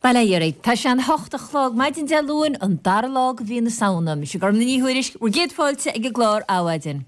Bail ó Dhia oraibh. Tá sé an hocht a chlog maidin Dé Luain, an dara lá de mhí na Samhna. Mise Gormfhlaith Ní Thuairisg, bhur gcéad fáilte ag an gclár Adhmhaidin.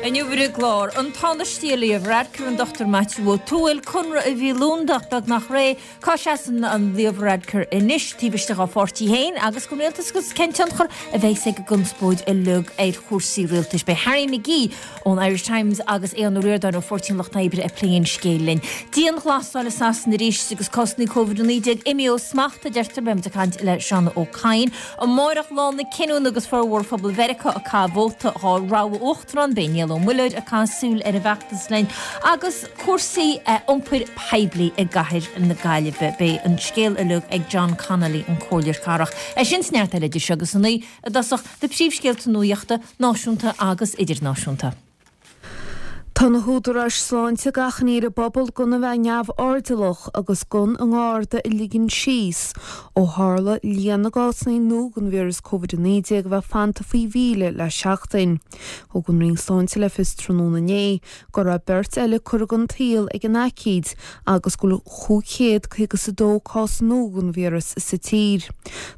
Inniu ar an gclár, an Tánaiste Leo Varadkar, an Dr Maitiú Ó Tuathail, conradh a bhí lúndach beagnach réidh, cá seasann an Leo Varadkar anois taobh istigh dá pháirtí féin agus den rialtas agus cén tionchar a bheas ag an gconspóid uilig ar chúrsaí rialtais. Beidh Harry McGee ón Irish Times agus Aodhán Ó Ríordáin ó Pháirtí an Lucht Oibre ag plé an scéil linn. Dianghlasáil i Sasana arís agus cásanna Covid-19 imithe ó smacht, a deirtear. Beidh muid ag caint le Seán Ó Cadhain. Amárach lá na cinniúna agus formhór phobal Mheiriceá ag caitheamh vóta dhá rogha uachtarán, beidh Niall Ó Muilleoir ag caitheamh súil ar an bhfeachtas linn agus cúrsaí iompair poiblí i gcathair na Gaillimhe. Beidh an scéal uilig ag John Connolly, an Comhairleoir Cathrach. É sin is neart eile idir seo agus a naoi i dtosach na príomhscéalta nuachta, náisiúnta agus idirnáisiúnta. Tá na húdaráis sláinte ag achainí ar an bpobal gan a bheith neamhairdeallach agus gan a ngarda a ligean síos ó tharla líon na gcásanna nua den víreas Covid-19 a bheith fanta faoi 1,000 le seachtain. Thug an Roinn Sláinte le fios tráthnóna inné go raibh beirt eile curtha den tsaol ag an aicíd agus go bhfuil 552 cás nua den víreas sa tír.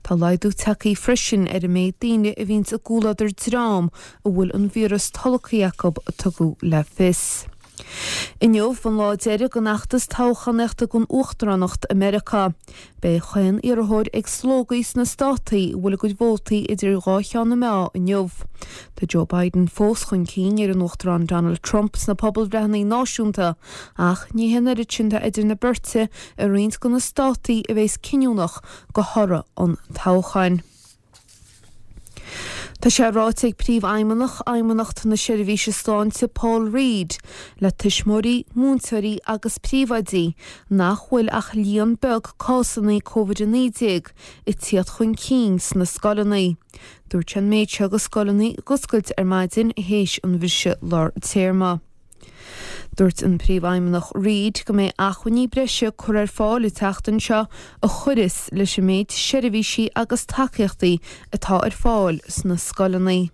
Tá laghdú tagtha freisin ar an méid daoine a bhíonns i gcomhluadar dream a bhfuil an víreas tolgtha acu, a tugadh le fios. Inniu an lá deiridh den fheachtas toghchánaíochta don uachtaránacht i Meiriceá. Beidh chaon iarrthóir ag slógadh sna státaí a bhfuil a gcuid vótaí idir dhá cheann na meá inniu. Tá Joe Biden fós chun cinn ar an Uachtarán Donald Trump sna pobalbhreitheanna náisiúnta ach ní hé an oiread sin atá idir na beirte i roinnt de na státaí a bheas cinniúnach do thoradh an toghcháin. Tá sé ráite ag Príomhfheidhmeannach Fheidhmeannacht na Seirbhíse Sláinte Paul Reid le tuismitheoirí, múinteoirí agus príomhoidí nach bhfuil ach líon beag cásanna Covid-19 ag tíocht chun cinn sna scoileanna. Dúirt sé an méid seo agus scoileanna ag oscailt ar maidin théis an bhriseadh lár téarma. Dúirt an Príomhfheidhmeannach Reid go mbeidh acmhainní breise curtha ar fáil an tseachtain seo a chuirfeas leis an méid seirbhísí agus tacaíochtaí atá ar fáil sna scoileanna.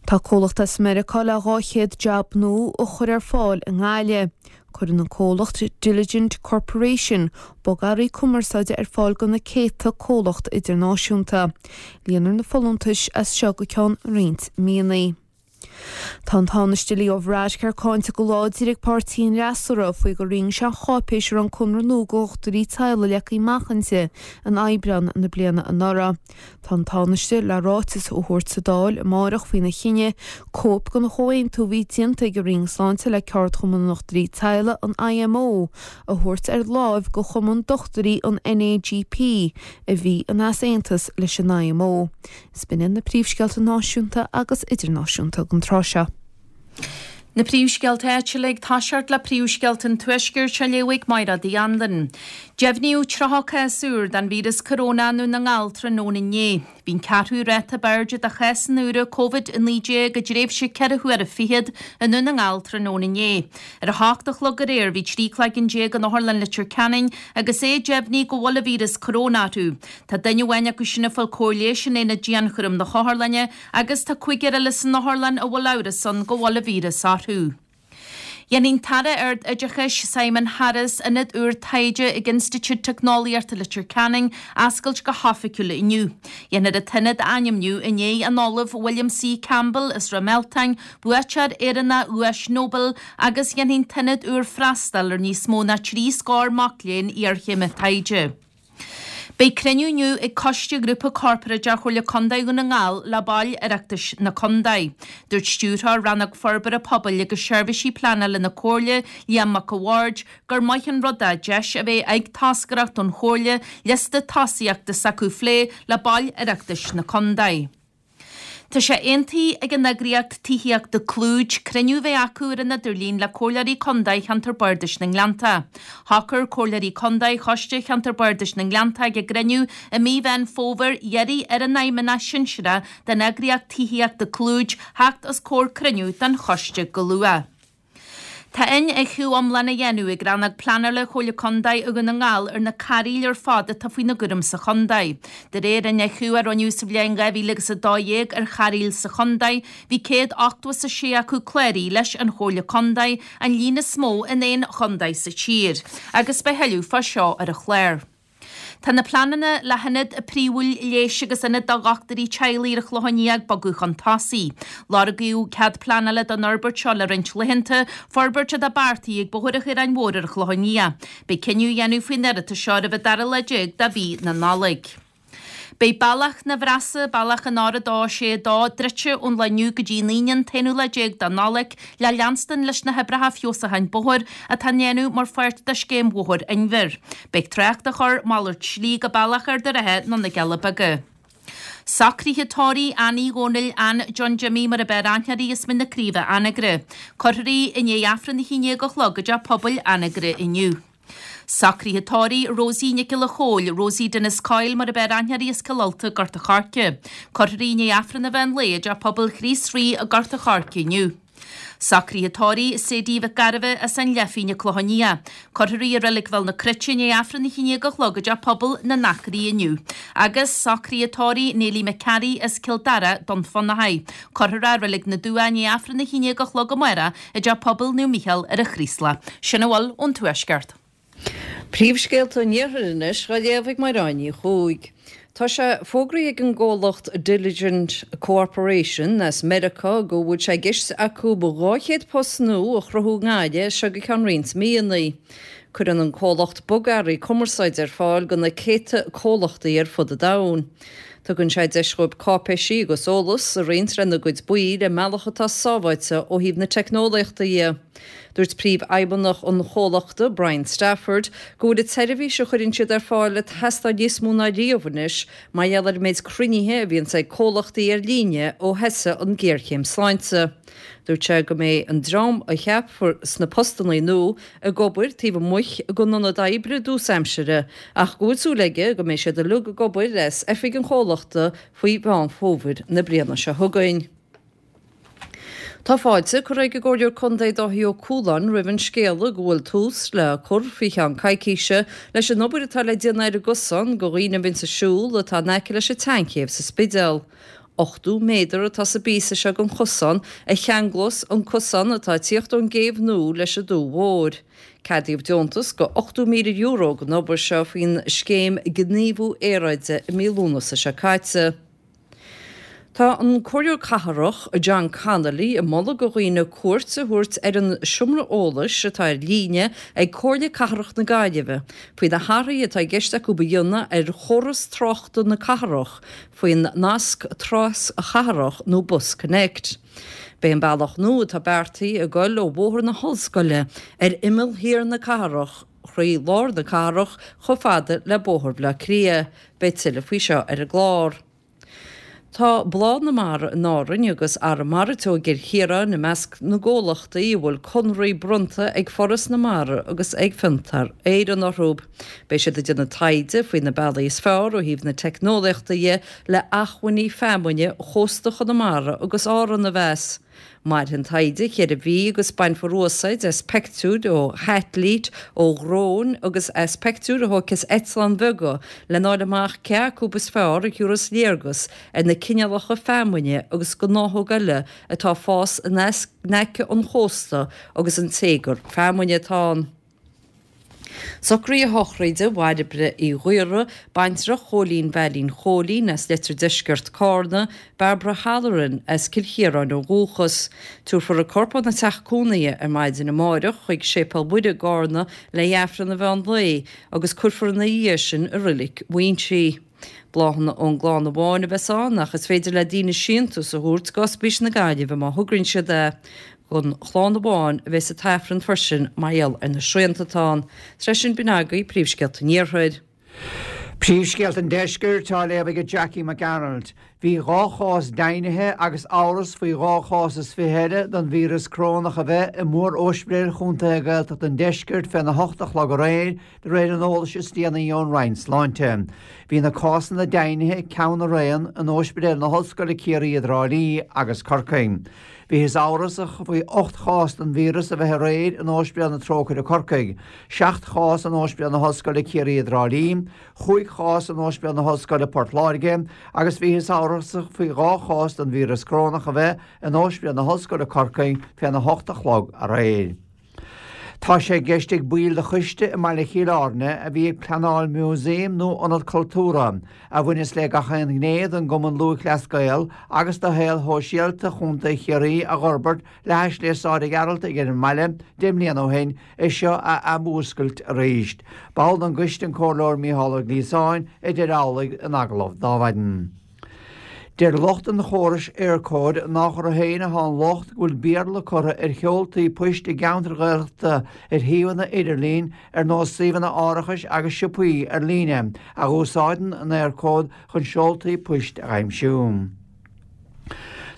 Tá comhlacht as Meiriceá le 200 jab nua a chur ar fáil i nGaillimh. Cuireann an comhlacht Diligent Corporation bogearraí cumarsáide ar fáil do na céadta comhlacht idirnáisiúnta. Líonfar na folúntais as seo go ceann roinnt míonna. Tá an Tánaiste Leo Varadkar cáinte go láidir ag páirtí an fhreasúra faoi gur roinn sé an cháipéis a raibh an conradh nua do dhochtúirí teaghlaigh leagtha amach inti in Aibreán na bliana anuraidh. Tá an Tánaiste le ráiteas a thabhairt sa Dáil amárach faoina chinneadh cóip den chomhaontú a bhí déanta ag an Roinn Sláinte le Ceardchumann na nDochtúirí Teaghlaigh, an IMO, a thabhairt ar láimh do chumann dochtúirí an NAGP a bhí in easaontas leis an IMO. Is b'in iad na príomhscéalta náisiúnta agus idirnáisiúnta don tráth seo. Na príomhscéalta áitiúla ag toiseacht le príomhscéalta an Tuaiscirt á léamh ag Mairéad Uí Anluain. Deimhníodh 30 cás úr den víreas coróna i nDún na nGall tráthnóna inné. Bhí an ceathrú ráta ab airde de chásanna úra Covid-19 i dtréimhse ceithre huaire fichead i nDún na nGall tráthnóna inné. Ar a hocht a chlog aréir bhí 13 cloigeann in Otharlann Leitir Ceanainn agus é deimhnithe go bhfuil an víreas coróna orthu. Tá duine amháin acu sin ag fáil cóir leighis in aonad dianchúraim na hotharlainne agus tá cúigear eile san otharlann a bhfuil amhras ann go bhfuil an víreas orthu. Dhéanfaidh an tAire Ard-Oideachais, Simon Harris, ionad úr taighde ag Institiúid Teicneolaíochta Leitir Ceanainn a oscailt go hoifigiúil inniu. Dhéanfar an t-ionad a ainmniú i ndiaidh an Ollaimh William C. Campbell as Ráth Mealtain, buaiteoir Éireannach Dhuais Nobel, agus dhéanfaidh an t-ionad úr freastal ar níos mó ná 3 scór mac léinn iarchéime taighde. Beidh cruinniú inniu ag Coiste Ghrúpa Corparáideach Chomhairle Contae Dhún na nGall le baill Oireachtais na Contae. Dúirt Stiúrthóir Rannóg Forbartha Pobail agus Seirbhísí Pleanála na Comhairle, Liam Mac a' Bhaird, gur maith an rud é deis a bheith ag toscaireacht ón Chomhairle liosta tosaíochta s'acu a phlé le baill Oireachtais na Contae. Tá sé aontaithe ag an eagraíocht tithíochta Clúid cruinniú a bheith acu ar an idirlíon le Comhairleoirí Contae Cheantar Bardais na nGleannta. Shocair Comhairleoirí Contae Choiste Cheantar Bardais na nGleannta ag a gcruinniú i mí Mheán Fómhair iarraidh ar an fheidhmeannach sinsearach den eagraíocht tithíochta Clúid theacht os comhair cruinniú den choiste go luath. Tá iniúchadh iomlán á dhéanamh ag Rannóg Pleanála Chomhairle Contae Dhún na nGall ar na cairéil ar fad atá faoina gcúram sa chontae. De réir iniúchadh a rinneadh sa bhliain 2012 ar chairéil sa chontae, bhí 186 acu cláraithe leis an Chomhairle Contae, an líon is mó in aon chontae sa tír. Agus beidh thuilleadh fá seo ar an chlár. Tá na pleananna le hionad príomhúil leighis agus ionad do dhochtúirí teaghlaigh ar an Chlochán Liath ag bogadh chun tosaigh. Lorgaíodh cead pleanála don fhorbairt seo le roinnt laethanta, forbairt atá beartaithe ag Bóthar an Chaoráin Mhóir ar an Chlochán Liath. Beidh cinneadh á dhéanamh faoin iarratas seo roimh an dara lá déag de mhí na Nollag. Beidh Bealach na Bhfreasa, Bealach an R262, druidte ón lá inniu go dtí an Aoine an t-aonú lá déag de Nollaig le leanstan leis na hoibreacha feabhsúcháin bóthair atá á ndéanamh mar pháirt de Scéim Bhóthar Inbhir. Beidh trácht á chur malairt slí go Bealach Ard an Rátha nó na Cealla Beaga. Socruithe tórraimh Annie Dhónaill Ann John Jimmy mar ab fhearr aithne uirthi as Mín na Craoibhe Anagaire. Cuirfear í i ndiaidh Aifreann 11 a chlog i dTeach Pobail Anagaire inniu. Socruithe tórraimh Rosie Nic Giolla Chóill, Rosie Denis Coyle mar ab fhearr aithne uirthi as Cill Ulta, Gort a' Choirce. Cuirfear í i ndiaidh Aifreann an mheán lae i dTeach Pobail Chríost Rí i nGort a' Choirce inniu. Socruithe tórraimh Sadie Mhic Gairbheith as an Leifín, an Clochán Liath. Cuirfear í i Reilig Bhéal na Cruite i ndiaidh Aifreann 11 a chlog i dTeach Pobail na nAcraí inniu. Agus socruithe tórraimh Neilí McCarry as Cill Dara, Dún Fionnachaidh. Cuirfear í i Reilig na Dumhcha i ndiaidh Aifreann 11 a chlog amárach i dTeach Pobail Naomh Mícheál ar an Chraoslach. Sin a bhfuil ón Tuaisceart. Príomhscéalta an Iarthair anois á léamh ag Mairéad Ní Chuaig. Tá sé fógraithe ag an gcomhlacht Diligent Cooperation as Meiriceá go bhfuil sé i gceist acu 200 post nua a chruthú i nGaillimh as seo go ceann roinnt míonna. Cuireann an comhlacht bogearraí cumarsáide ar fáil do na céadta comhlachtaí ar fud an domhain. Tugann sé deis dhóibh cáipéisí agus eolas a roinnt lena gcuid baill i mbealach atá sábháilte ó thaobh na teicneolaíochta dhe. Dúirt príomhfheidhmeannach an chomhlachta, Brian Stafford, go bhfuil an tseirbhís a chuireann siad ar fáil ag teastáil níos mó ná riamh anois mar gheall ar an méid cruinnithe a bhíonns ag comhlachtaí ar líne ó thosaigh an ghéarchéim sláinte. Dúirt sé go mbeidh an dream a cheapfar sna postanna nua ag obair taobh amuigh den ionad oibre i dtús aimsire ach go bhfuil súil aige go mbeidh siad uilig ag obair as oifig an chomhlachta faoi Mheán Fómhair na bliana seo chugainn. Tá fáilte curtha ag an gComhairleoir Contae Dáithí Ó Cualáin roimh an scéala go bhfuil tús le cur faoi cheann coicíse leis an obair atá le déanamh ar an gcosán do dhaoine a bhíonns ag siúl atá in aice leis an tSeanchéibh sa Spidéal. 80 méadar atá sa bpíosa seo den chosán a cheanglós an cosán atá ag tíocht ón gcéibh nua leis an Dumha Mhór. Ceadaíodh deontas de €80,000 don obair seo faoin scéim Gníomhú Aeráide i mí Lúnasa seo caite. Tá an Comhairleoir Cathrach John Connolly ag moladh do dhaoine cuairt a thabhairt ar an seomra eolais atá ar líne ag Comhairle Cathrach na Gaillimhe faoi na hathruithe atá i gceist acu a dhéanamh ar chóras tráchta na cathrach faoin nasc traschathrach nó BusConnect. Beidh an bealach nua atá beartaithe ag goil ó Bhóthar na hOllscoile ar imeall thiar na cathrach thrí lár na cathrach chomh fada le Bóthar Bhaile Átha Cliath. Beidh tuilleadh faoi seo ar an gclár. Tá Bláth na Mara in Árainn agus Arramara Teo i gCill Chiaráin i measc na gcomhlachtaí a bhfuil conraí bronnta ag Foras na Mara agus ag Fiontar Éireann orthu. Beidh siad ag déanamh taighde faoi na bealaí is fearr ó thaobh na teicneolaíochta dhe le acmhainní feamainne chósta Chonamara agus Árann a mheas. Mairfidh an taighde cheithre mhí agus bainfear úsáid as peictiúir ó shaitilít, ó dhróin agus as peictiúir a thógtha as eitleáin bheaga lena fháil amach cé acu is fearr a thabharfas léargas ar na cineálacha feamainne agus gnáthóg eile atá ag fás in aice an chósta agus an téagar feamainne atá ann. Socruithe sochraide Bhairbre Uí Ghaora, baintreach Chóilín Veailín Chóilín as Leitir Deisceart Cárna, Barbara Halloran as Cill Chiaráin ó dhúchas. Tabharfar a corp óna teach cónaithe ar maidin amáireach chuig Séipéal Mhuire i gCárna le hAifreann an mheán lae agus cuirfear ina dhiaidh sin i Roilic Mhuinsí. Bláthanna ón gclann amháin a bheas ann ach is féidir le daoine síntiús a thabhairt go Ospís na Gaillimhe má thograíonn siad é. Don chlann amháin a bheas an t-aifreann freisin mar gheall ar na srianta atá ann. Tar éis sin b'in agaibh príomhscéalta an Iarthair. Príomhscéalta an Deiscirt á léamh ag Jackie Mac Gearailt. Bhí 2 chás deimhnithe agus amhras faoi 2 chás is 20 eile den víreas corónach a bheith i mór-óispidéil chontaetha Ghaeltachta an Deiscirt féna hocht a chlog aréir, de réir an eolais is déanaí ón Roinn Sláinte. Bhí na cásanna deimhnithe, ceann araon, in Óispidéal na hOllscoile Ciarraí i dTrá Lí agus Corcaigh. Bhíothas amhrasach faoi 8 chás den víreas a bheith aréir in Óispidéal na Trócaire Corcaigh, 7 chás in Óispidéal na hOllscoile Ciarraí i dTrá Lí, chúig chás in Ospidéal na hOllscoile Port Láirge agus bhíothas amhrasach faoi 2 chás den víreas corónach a bheith in Ospidéal na hOllscoile Corcaigh féna hocht a chlog aréir. Tá sé i gceist ag baill de choiste i mbaile Chill Airne a bhí ag pleanáil músaem nó ionad cultúrtha a bhaineas le gach aon ghné den gCumann Lúthchleas Gael agus de shaol shóisialta Chontae Chiarraí a dh'fhorbairt le hais Léas Sáire Ghearaltaigh ar an mbaile 10 mbliana ó shin, é seo a athmhúscailt arís. Ball den gcoiste an Comhairleoir Mícheál Ó Gliasáin a deir amhlaidh in agallamh d'Adhmhaidin. Deir lucht an chórais Eircode nách orthu féin atá an locht go bhfuil Béarla curtha ar sheoltaí poist i gceantair Ghaeltachta ar shuíomhanna idirlín ar nós suíomhanna árachais agus siopaí ar líne a dh'úsáideann an Eircode chun seoltaí poist a dh'aimsiú.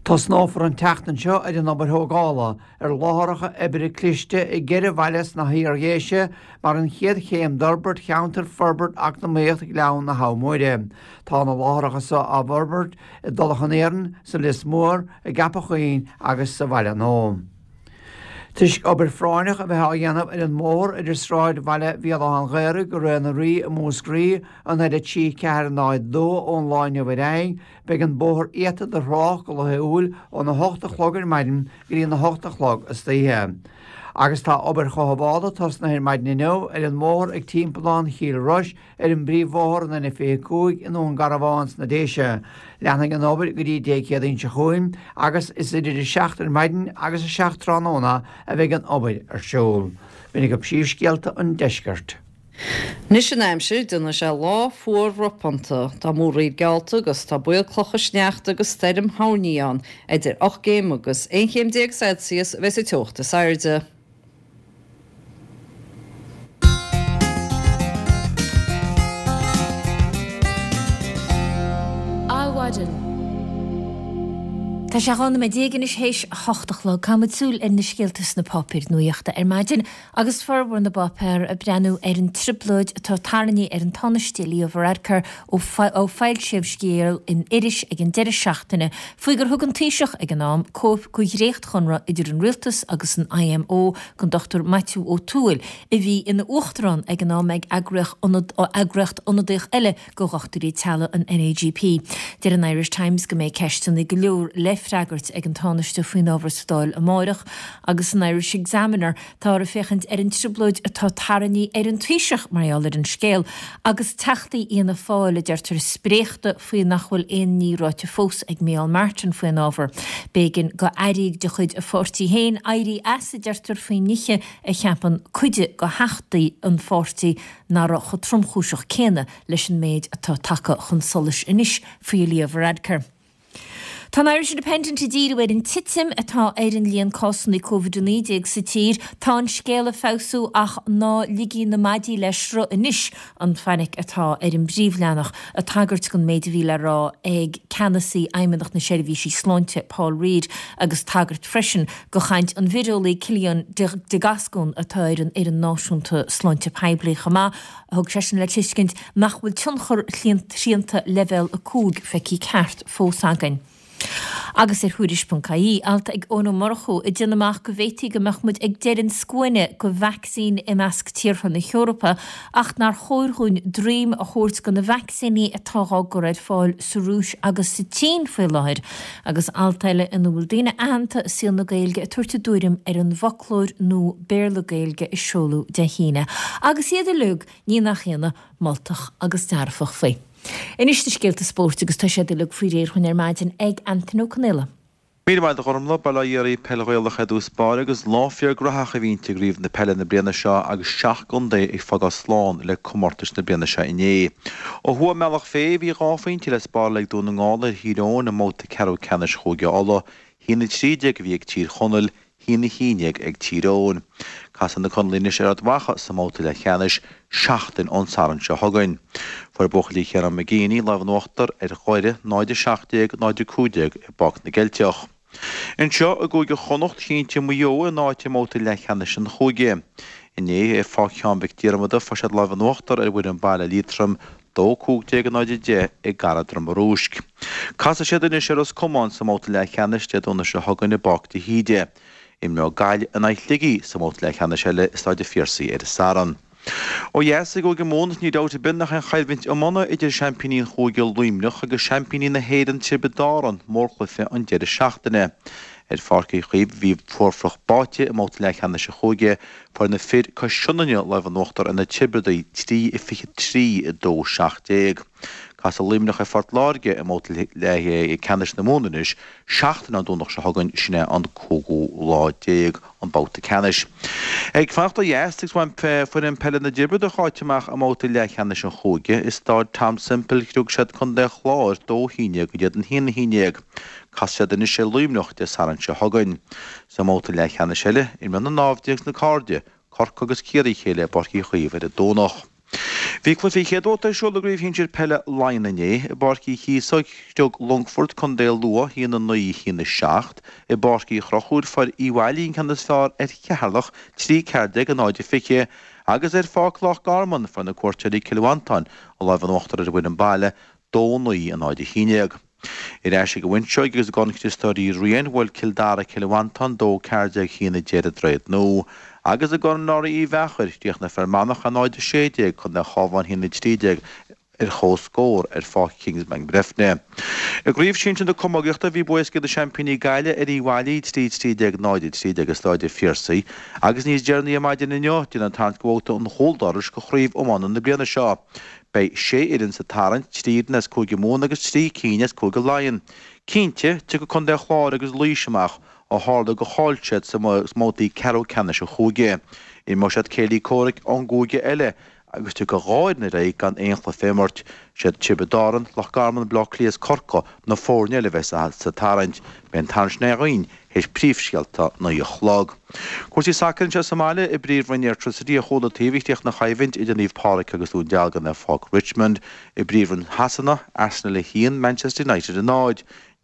Tosnófar an tseachtain seo ar an obair thógála ar láithreacha oibre cliste i gceithre bhaile sna hIar-Dhéise mar an chéad chéim d'fhorbairt cheantar Forbairt Eacnamaíoch Ghleann na Habha Móire. Tá na láithreacha seo á bhforbairt i dTulach an Iarainn, sa Lios Mór, i gCeapach Chuinn agus sa Bhaile Nua. Toisc obair phráinneach a bheith á dhéanamh ar an mbóthar idir Sráid Bhaile Bhéal Átha an Ghaorthaidh go Rae na Rí i Múscraí, an L3 4 0 2 ón lá inniu ar aghaidh, beidh an bóthar iata do thrácht go laethúil óna hocht a chlog ar maidin go dtí na hocht a chlog istoíche. Agus tá obair chothabhála tosnaithe ar maidin inniu ar an mbóthar ag Timpeallán Chill Rois ar an bpríomhbhóthar an N25 i nDún Garbhán sna Déise. Leanfaidh an obair go dtí Dé Céadaoin seo chugainn agus is idir 7 ar maidin agus 7 tráthnóna a bheidh an obair ar siúl. B'in agaibh príomhscéalta an deiscirt. Anois an aimsir, déanfaidh sé lá fuar ropánta. Tá múraíl geallta agus tá baol clocha sneachta agus stoirm thoirní ann. Idir 8 gcéim agus 11 chéim Celsius a bheas an teocht is airde. Adhmhaidin. Tá sé 12 nóiméad anois théis a hocht a chlog. Caithfimid súil ar na scéalta sna páipéir nuaíochta ar maidin agus formhór na bpáipéar ag breathnú ar an trioblóid atá tarraingthe ar an Tánaiste Leo Varadkar ó foilsíodh scéal in iris ag an deireadh seachtaine faoi gur thug an Taoiseach ag an am cóip de dhréachtchonradh idir an Rialtas agus an IMO don Dr Maitiú Ó Tuathail, a bhí ina Uachtarán ag an am ag eagraíocht ionadaíoch eile do dhochtúirí teaghlaigh, an NAGP. Deir an Irish Times go mbeidh ceisteanna go leor le freagairt ag an Tánaiste faoin ábhar sa Dáil amárach agus san Irish Examiner táthar ag féachaint ar an trioblóid atá tarraingthe ar an Taoiseach mar gheall ar an scéal agus teachtaí Fhianna Fáil, a deirtear, spréachta faoi nach bhfuil aon ní ráite fós ag Micheál Martin faoin ábhar. B'éigean do airí de chuid a pháirtí féin éirí as, a deirtear, faoi nithe a cheapann cuid de theachtaí an pháirtí nach raibh chomh tromchúiseach céanna leis an méid atá tagtha chun solais anois faoi Leo Varadkar. Tá an Irish Independent ag díriú ar an titim atá ar an líon cásanna Covid-19 sa tír. Tá an scéal ag feabhsú ach ná ligigí na maidí le sruth anois, an fainic atá ar an bpríomhleathanach, ag tagairt don méid a bhí le rá ag ceannasaí Fheidhmeannacht na Seirbhísí Sláinte, Paul Reid, agus tagairt freisin do chaint an vireolaí Cillian de Gascún atá ar an Fhoireann Náisiúnta Sláinte Poiblí chomh maith. Thug seisean le tuiscint nach bhfuil tionchar shrianta Leibhéal 5 feicthe ceart fós againn. Agus ar Thuairisc.ie, alt ag Eoin Ó Murchú ag déanamh amach go bhféadfaí go mbeadh muid ag deireadh an scuaine go vacsaín i measc tíortha na hEorpa ach nár chóir dhúinn droim a thabhairt go na vacsaíní atá dhá gcur ar fáil sa Rúis agus sa tSín faoi láthair. Agus alt eile ina bhfuil daoine aitheanta i saol na Gaeilge ag tabhairt a dtuairim ar an bhfoclóir nua Béarla-Gaeilge a seoladh Dé hAoine. Agus iad uilig, ní nach ionadh, moltach agus dearfach faoi. Anois na scéalta spóirt agus tá siad uilig faoi réir dhúinn ar maidin ag Antain Ó Conaola. Míle maith agat a Ghormfhlaith, Bail ó Dhia oraibh, Peil Ghaelach ar dtús báire agus lá fíor graitheach a bhí inti i gcraobh na peile na bliana seo agus 7 gcontae ag fágáil slán le comórtais na bliana seo inné. Ó thuaidh i mBealach Féich bhí dhá phointe le spáráil ag Dún na nGall ar Thír Eoghain i mbabhta ceathrú ceannais Chúige Uladh, 1-13 a bhí ag Tír Chonaill, 1-11 ag Tír Eoghain. Casfaidh na Conallaigh anois ar Ard Mhacha sa mbabhta leathcheannais seachtain ón Satharn seo chugainn. Fuair buachaillí Chiarán McGeeney lámh in uachtar ar Dhoire 0-17, 0-15 i bPáirc na gCeilteach. Anseo i gCúige Chonnacht, chinntigh Maigh Eo a n-áit i mbabhta leathcheannais an chúige. Inné ar Pháirc Sheáin Mhic Diarmada fuair siad lámh in uachtar ar bhfoireann baile Liatroim, 2-15 0-10 i gCathair Droma Rúisc. Casfaidh siad anois ar Ros Comáin sa mbabhta leathcheannais Dé Domhnaigh seo chugainn i bPáirc de hÍde. Imreoidh Gaillimh in aghaidh Shligigh sa mbabhta leathcheannais eile i Staid an Phiarsaigh ar an Satharn. Ó dheas i gCúige Mumhan, ní dabht ar bith nach é an choimhlint iomána idir seaimpíní an chúige Luimneach agus seaimpíní na hÉireann Tiobraid Árann mórchluiche an deireadh seachtaine. Ar Pháirc Uí Chaoimh a bhí fuarfhliuch báite i mbabhta leathcheannais an chúige, fuair na fir cois Sionainne lámh in uachtar ar na Tiobradaigh, 3-23, 2-17. Casfaidh Luimneach ar Phort Láirge i mbabhta leathcheannais na Mumhan anois, seachtain ón Domhnach seo chugainn, sin é an cúigiú lá déag, an babhta ceannais. Ag fanacht ó dheas, agus bhain foireann peile na dTiobradach áit amach i mbabhta leathcheannais an chúige, i Stáid Tom Semple chriog siad Contae an Chláir 2-11 in éadan 1-11. Casfaidh siad anois ar Luimneach Dé Sathairn seo chugainn. Sa mbabhta leathcheannais eile, imreoidh na naimhde agus na cairde, Corcaigh agus Ciarraí a chéile i bPáirc Uí Chaoimh ar an Domhnach. Bhí cluichí chéad bhabhta ar siúl i gCraobh Shinsir Peile Laighean inné. I bPáirc Uí Chíosóg, chriog Longfort contae Lú 1-9, 1-7. I bPáirc Uí Chonchúir, fuair Uíbh Fhailí an ceann is fearr ar Cheatharlach, 3 14 0-20, agus ar Pháirc Loch Garman, fuair na cuairteoirí Cill Mhantáin an lámh in uachtar ar an bhfoireann baile, 2-9 0-11. Ar ais ag an bhFuinseoig agus i gCorn Chriostóir Uí Riain, bhuail Cill Dara Cill Mhantáin 2 14 1 10 i dTroighid Nua. Agus i gCorn Norrie Uí Mheachair, chríochnaigh Fear Manach 0 16, Contae an Chabháin 1 13 ar comhscór ar Pháirc Kingsbank Breifne. I gCraobh Shinsir na Camógaíochta, bhí bua éasca ag na seaimpíní Gaillimh ar Uíbh Fhailí 3 13 0 13 i Stáid an Phiarsaigh agus níos deireanaí ar maidin inniu, déanadh an tarraingt do bhabhta an chúldorais do chraobh iomána na bliana seo. Beidh sé fhoireann sa tarraingt, 3 fhoireann as Cúige Mumhan agus 3 cinn as Cúige Laighean. Cinnte, tiocfaidh Contae an Chláir agus Laois amach, ó tharla gur chaill siad sa mbabhtaí ceathrú ceannais an chúige. Imreoidh siad céilí comhraic ón gcúige eile agus tiocfaidh 2 fhoireann ar aghaidh gan aon chluiche a imirt. Siad Tiobraid Árann, Loch Garman, Baile Átha Cliath is Corcaigh na foirne eile a bheas sa tarraingt. Beidh an tarraingt sin againn théis príomhscéalta 9 a chlog. Cúrsaí sacair anseo sa mbaile i bPríomhroinn Airtricity ar chúl an taobh a chríochnaigh an choimhlint idir Naomh Pádraig agus Dún Dealgan ar Pháirc Richmond. I bPríomhroinn Shasana, Arsenal 1, Manchester United 0,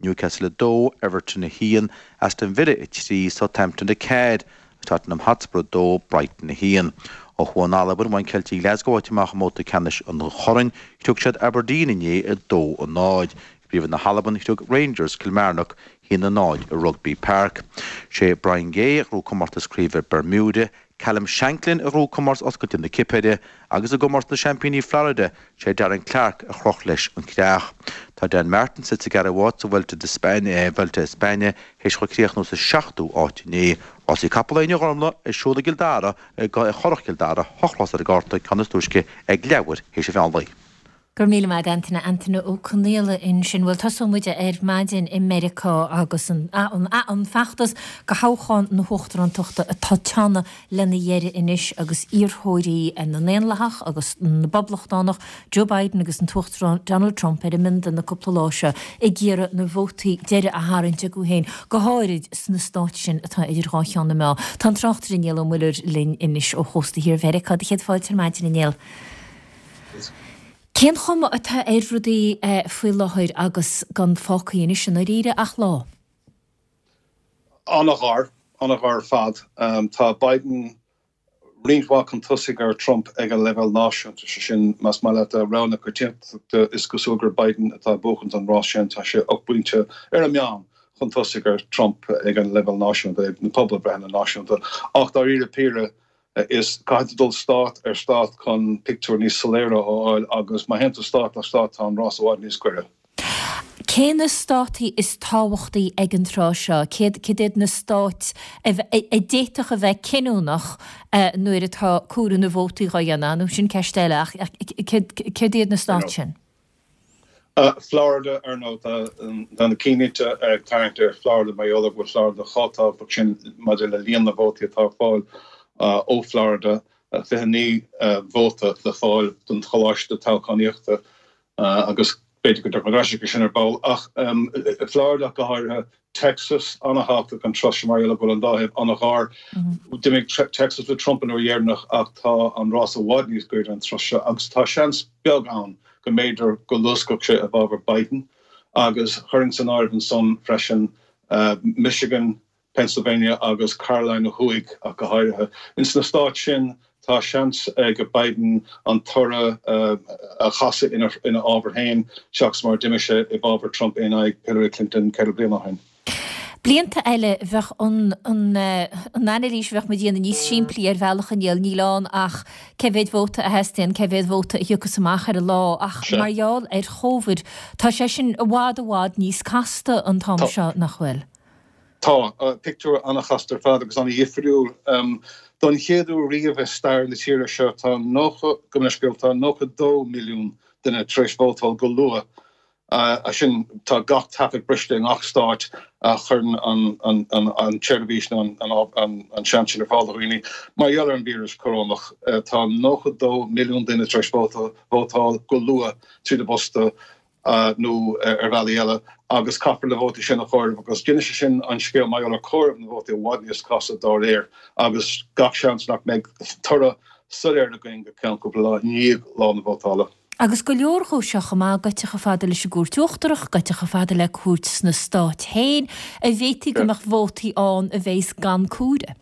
Newcastle 2, Everton 1, Aston Villa 3, Southampton 4, Tottenham Hotspur 2, Brighton 1. Ó thuaidh in Albain, bhain Ceiltigh Ghlasgow áit amach i mbabhta ceannais an choirn. Chriog siad Aberdeen inné 2, 0. I bPríomhroinn na hAlban, chriog Rangers Kilmarnock 1-0 i Rugby Park. Sé Brian Gay a ghnóthaigh comórtas craoibhe Bermuda, Callum Shanklin a ghnóthaigh comórtas oscailte na Cipire agus i gcomórtas na Seaimpíní Florida, sé Darren Clarke a chroch leis an creach. Tá Dan Martin suite sa gceathrú háit sa Vuelta de España, Vuelta a España, théis dó críochnú sa seachtú háit inné. Rásaí capall inniu a Ghormfhlaith ar siúl i gCill Dara, i gCurrach Chill Dara, rás ar an gcárta, ceann is túisce ag leathuair théis an mheán lae. Go raibh míle maith agat Antaine, Antaine Ó Conaola ansin. Bhuel, tosóidh muid ar maidin i Meiriceá agus an an feachtas do thoghchán na huachtarántachta atá ag teannadh lena dheireadh anois agus iarrthóirí na nDaonlathach agus na bPoblachtánach, Joe Biden agus an tUachtarán Donald Trump ar a mbionda na cúpla lá seo ag iarraidh na vótaí deiridh a tharraingt chucu féin, go háirid sna stáit sin atá idir dhá cheann na meá. Tá an tráchtaire Niall Ó Muilleoir linn anois ó chósta thiar Mheiriceá. Do chéad fáilte ar maidin, a Néill. Cén chuma atá ar rudaí faoi láthair agus gan fágtha anois i ndáiríre ach lá? An-ghar, an-ghar ar fad. Tá Biden roinnt mhaith chun tosaigh ar Trump ag an leibhéal náisiúnta, sé sin, más maith leat, rogha na coitiantachta, is cosúil gur Biden atá ag buachaint an rás sin, tá sé 8 bpointe ar an meán chun tosaigh ar Trump ag an leibhéal náisiúnta, ag na pobalbhreitheanna náisiúnta. Ach dáiríre píre, is caithfidh tú dul stát ar stát chun pictiúr níos soiléire a fháil agus má théann tú stát ar stát tá an rás i bhfad níos gaire. Cé na státaí is tábhachtaí ag an tráth seo? Céard iad na stáit a d'fhéadfadh a bheith cinniúnach nuair atá comhaireamh na vótaí dhá dhéanamh? Nó sin ceist eile ach céard iad na stáit sin? Florida, ar ndóigh, tá na cinnlínte ag tarraingt ar Florida mar gheall ar go bhfuil Florida chomh tábhachtach sin maidir le líon na vótaí atá ar fáil ó Florida, 29 vóta le fáil don choláiste toghchánaíochta agus. B'fhéidir go dtiocfaidh muid ar ais chuige sin ar ball ach Florida ach go háirithe, Texas, an-thábhachtach an turas seo mar gheall go bhfuil an dá thaobh an-ghar. D'imigh Texas le Trump an uair dheireanach ach tá an rás i bhfad níos gaire an turas seo agus tá seans beag ann go mb'fhéidir go luascfadh sé i bhfabhar Biden agus chuirfinn san áireamh ansan freisin Michigan, Pennsylvania agus Carolina Thuaidh ach go háirithe. Ins na stáit sin tá seans ag Biden an toradh a chasadh ina fhábhar féin seachas mar a d'imigh sé i bhfabhar Trump in aghaidh Hillary Clinton 4 bliana ó shin. Blianta eile bheadh an anailís a bheadh muid a dhéanamh níos simplí ar bhealach a Néill, níl ann ach cé mhéad vóta a theastaíonn, cé mhéad vóta a thiocfas amach ar an lá ach mar gheall ar Chóvid tá sé sin i bhfad i bhfad níos casta an t-am seo, nach bhfuil? Tá. Pictiúr an-chasta ar fad agus an-dhifriúil. Don chéad uair riamh i stair na tíre seo tá 90, gabh mo leithscéal, tá 92 milliún duine tar éis vótáil go luath. Sin, tá gach taifead briste i ngach stát a chuireann an tseirbhís nó an seans sin ar fáil do dhaoine. Mar gheall ar an víreas corónach, tá 92 milliún duine tar éis vótáil go luath tríd an bposta. nó ar bhealaí eile, agus caithfear na vótaí sin a chomhaireamh agus déanann sé sin an scéal mar gheall ar chomhaireamh na vótaí i bhfad níos casta dá réir agus gach seans nach mbeidh toradh soiléir againn go ceann cúpla lá i ndiaidh lá na vótála. Agus go leor dhó seo chomh maith, goite chomh fada leis an gCúirt Uachtarach, goite chomh fada le cúirt sna Stáit féin, a bhféadfaí go mbeadh vótaí ann a bheas gan comhaireamh.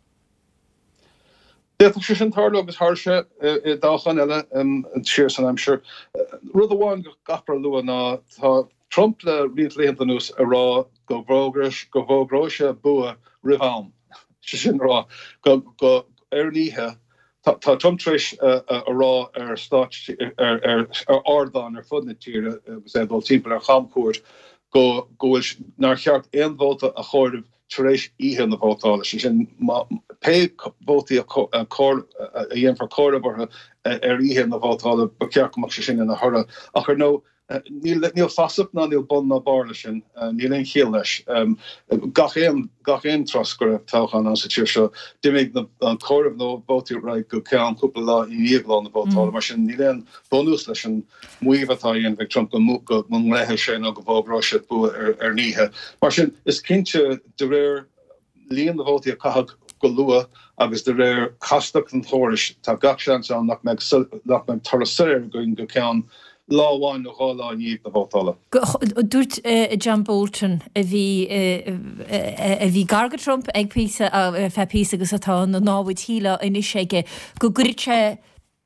D'fhéadfadh sé sin tarlú agus tharla sé i dtoghcháin eile siar san aimsir. Rud amháin go gcaithfear a lua ná tá Trump le roinnt laethanta anuas ag rá go bhfógróidh sé bua roimh am. Sé sin a rá go ar an oíche tá Trump tar éis a rá ar stáit ar ardáin ar fud na tíre agus é ag dul timpeall ar chamchuairt go bhfuil nár cheart aon vóta a chomhaireamh tar éis oíche na vótála, sé sin, pé vótaí a dhéanfar comhaireamh orthu ar oíche na vótála, ba cheart go mbeadh sé sin ina thoradh. Ach ar ndóigh, níl fasach ná níl bun ná barr leis sin, níl aon chiall leis. Gach aon, gach aon turas go raibh toghchán ann sa tír seo, d'imigh an comhaireamh na vótaí ar aghaidh go ceann cúpla lá i ndiaidh lá na vótála. Mar sin, níl aon bhunús leis an maíomh atá á dhéanamh ag Trump go nglaofaidh sé nó go bhfógróidh sé bua ar an oíche. Mar sin, is cinnte, de réir líon na vótaí a caitheadh go luath agus de réir chastacht an chórais, tá gach seans ann nach mbeidh nach mbeidh toradh soiléir againn go ceann lá amháin nó dhá lá i ndiaidh na vótála. Dúirt John Bolton, a bhí a bhí gar do Trump ag píosa, ar feadh píosa agus atá ina námhaid shílfeá anois aige, go gcuirfeadh sé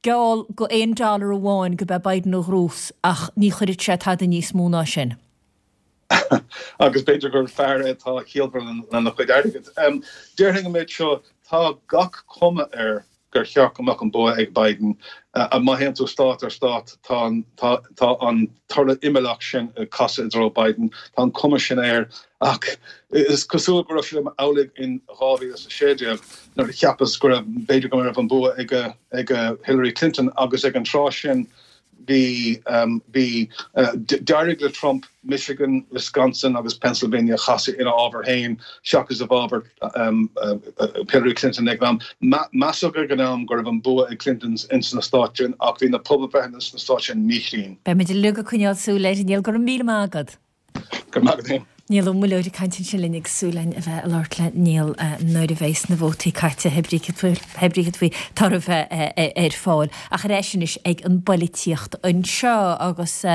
geall go aon dollar amháin go b'é Biden a ghnóthós ach ní chuirfeadh sé tada níos mó ná sin. Agus b'fhéidir gur fear é atá ciallmhar lena chuid airgid. Déarfainn an méid seo, tá gach cuma air gur cheart go mbeadh an bua ag Biden. Má théann tú stát ar stát, tá an toradh imeallach sin ag casadh i dtreo Biden. Tá an cuma sin air. Ach is cosúil go raibh sé amhlaidh in 2016 nuair a cheapas go raibh, b'fhéidir go raibh an bua ag ag Hillary Clinton agus ag an tráth sin bhí, bhí, d'éirigh le Trump Michigan, Wisconsin agus Pennsylvania a chasadh ina fhábhar féin seachas i bhfabhar Hillary Clinton ag an am. Measadh ag an am go raibh an bua ag Clinton ins na stáit sin ach bhí na pobalbhreitheanna sna stáit sin míchruinn. Beimid uilig ag coinneáil súil air, a Néill. Go raibh míle maith agat. Go raibh maith agat féin. Niall Ó Muilleoir ag caint ansin linn agus súil againn a bheith ag labhairt le Niall nuair a bheas na vótaí caite, hé brí céard faoi toradh a bheith ar fáil. Ach ar ais anois ag an bpoilitíocht anseo agus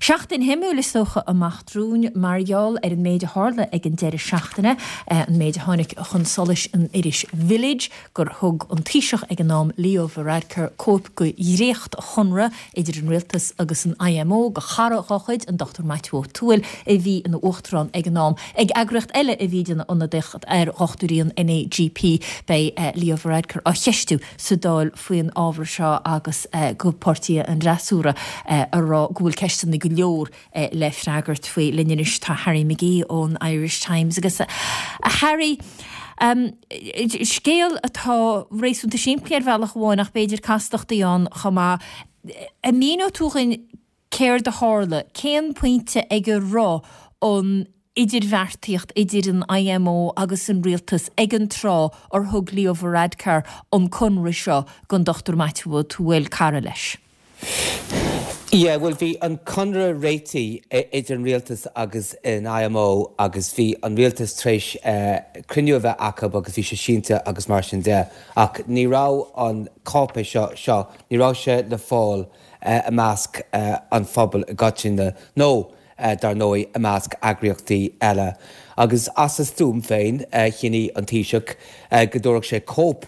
seachtain shuimiúil is dócha amach romhainn mar gheall ar an méid a tharla ag an deireadh seachtaine, an méid a tháinig chun solais in iris Village, gur thug an Taoiseach ag an am, Leo Varadkar, cóip de dhréacht-chonradh idir an Rialtas agus an IMO do chara dá chuid, an Dr Maitiú Ó Tuathail, a bhí ina Uachtarán ag an am. Ag eagraíocht eile a bhí ag déanamh ionadaíocht ar dhochtúirí an NAGP, beidh Leo Varadkar á cheistiú sa Dáil faoin ábhar seo agus go páirtithe an fhreasúra ag rá go bhfuil ceisteanna go leor le freagairt faoi. Linn anois tá Harry McGee ón Irish Times agus a Harry, scéal atá réasúnta simplí ar bhealach amháin ach b'fhéidir castachtaí ann chomh maith. An míneoidh tú dhúinn céard a tharla? Cén pointe ag a raibh an idirbheartaíocht idir an IMO agus an rialtas ag an tráth ar thug Leo Varadkar an conradh seo don Dr Maitiú Ó Tuathail, cara leis? Yeah, bhuel bhí an conradh réitithe idir an rialtas agus an IMO agus bhí an rialtas tar éis cruinniú a bheith acu agus bhí sé sínte agus mar sin de. Ach ní raibh an cáipéis seo, seo, ní raibh sé le fáil i measc an phobail i gcoitinne nó dar ndóigh i measc eagraíochtaí eile. Agus as a stuaim féin chinnigh an Taoiseach go dtabharfadh sé cóip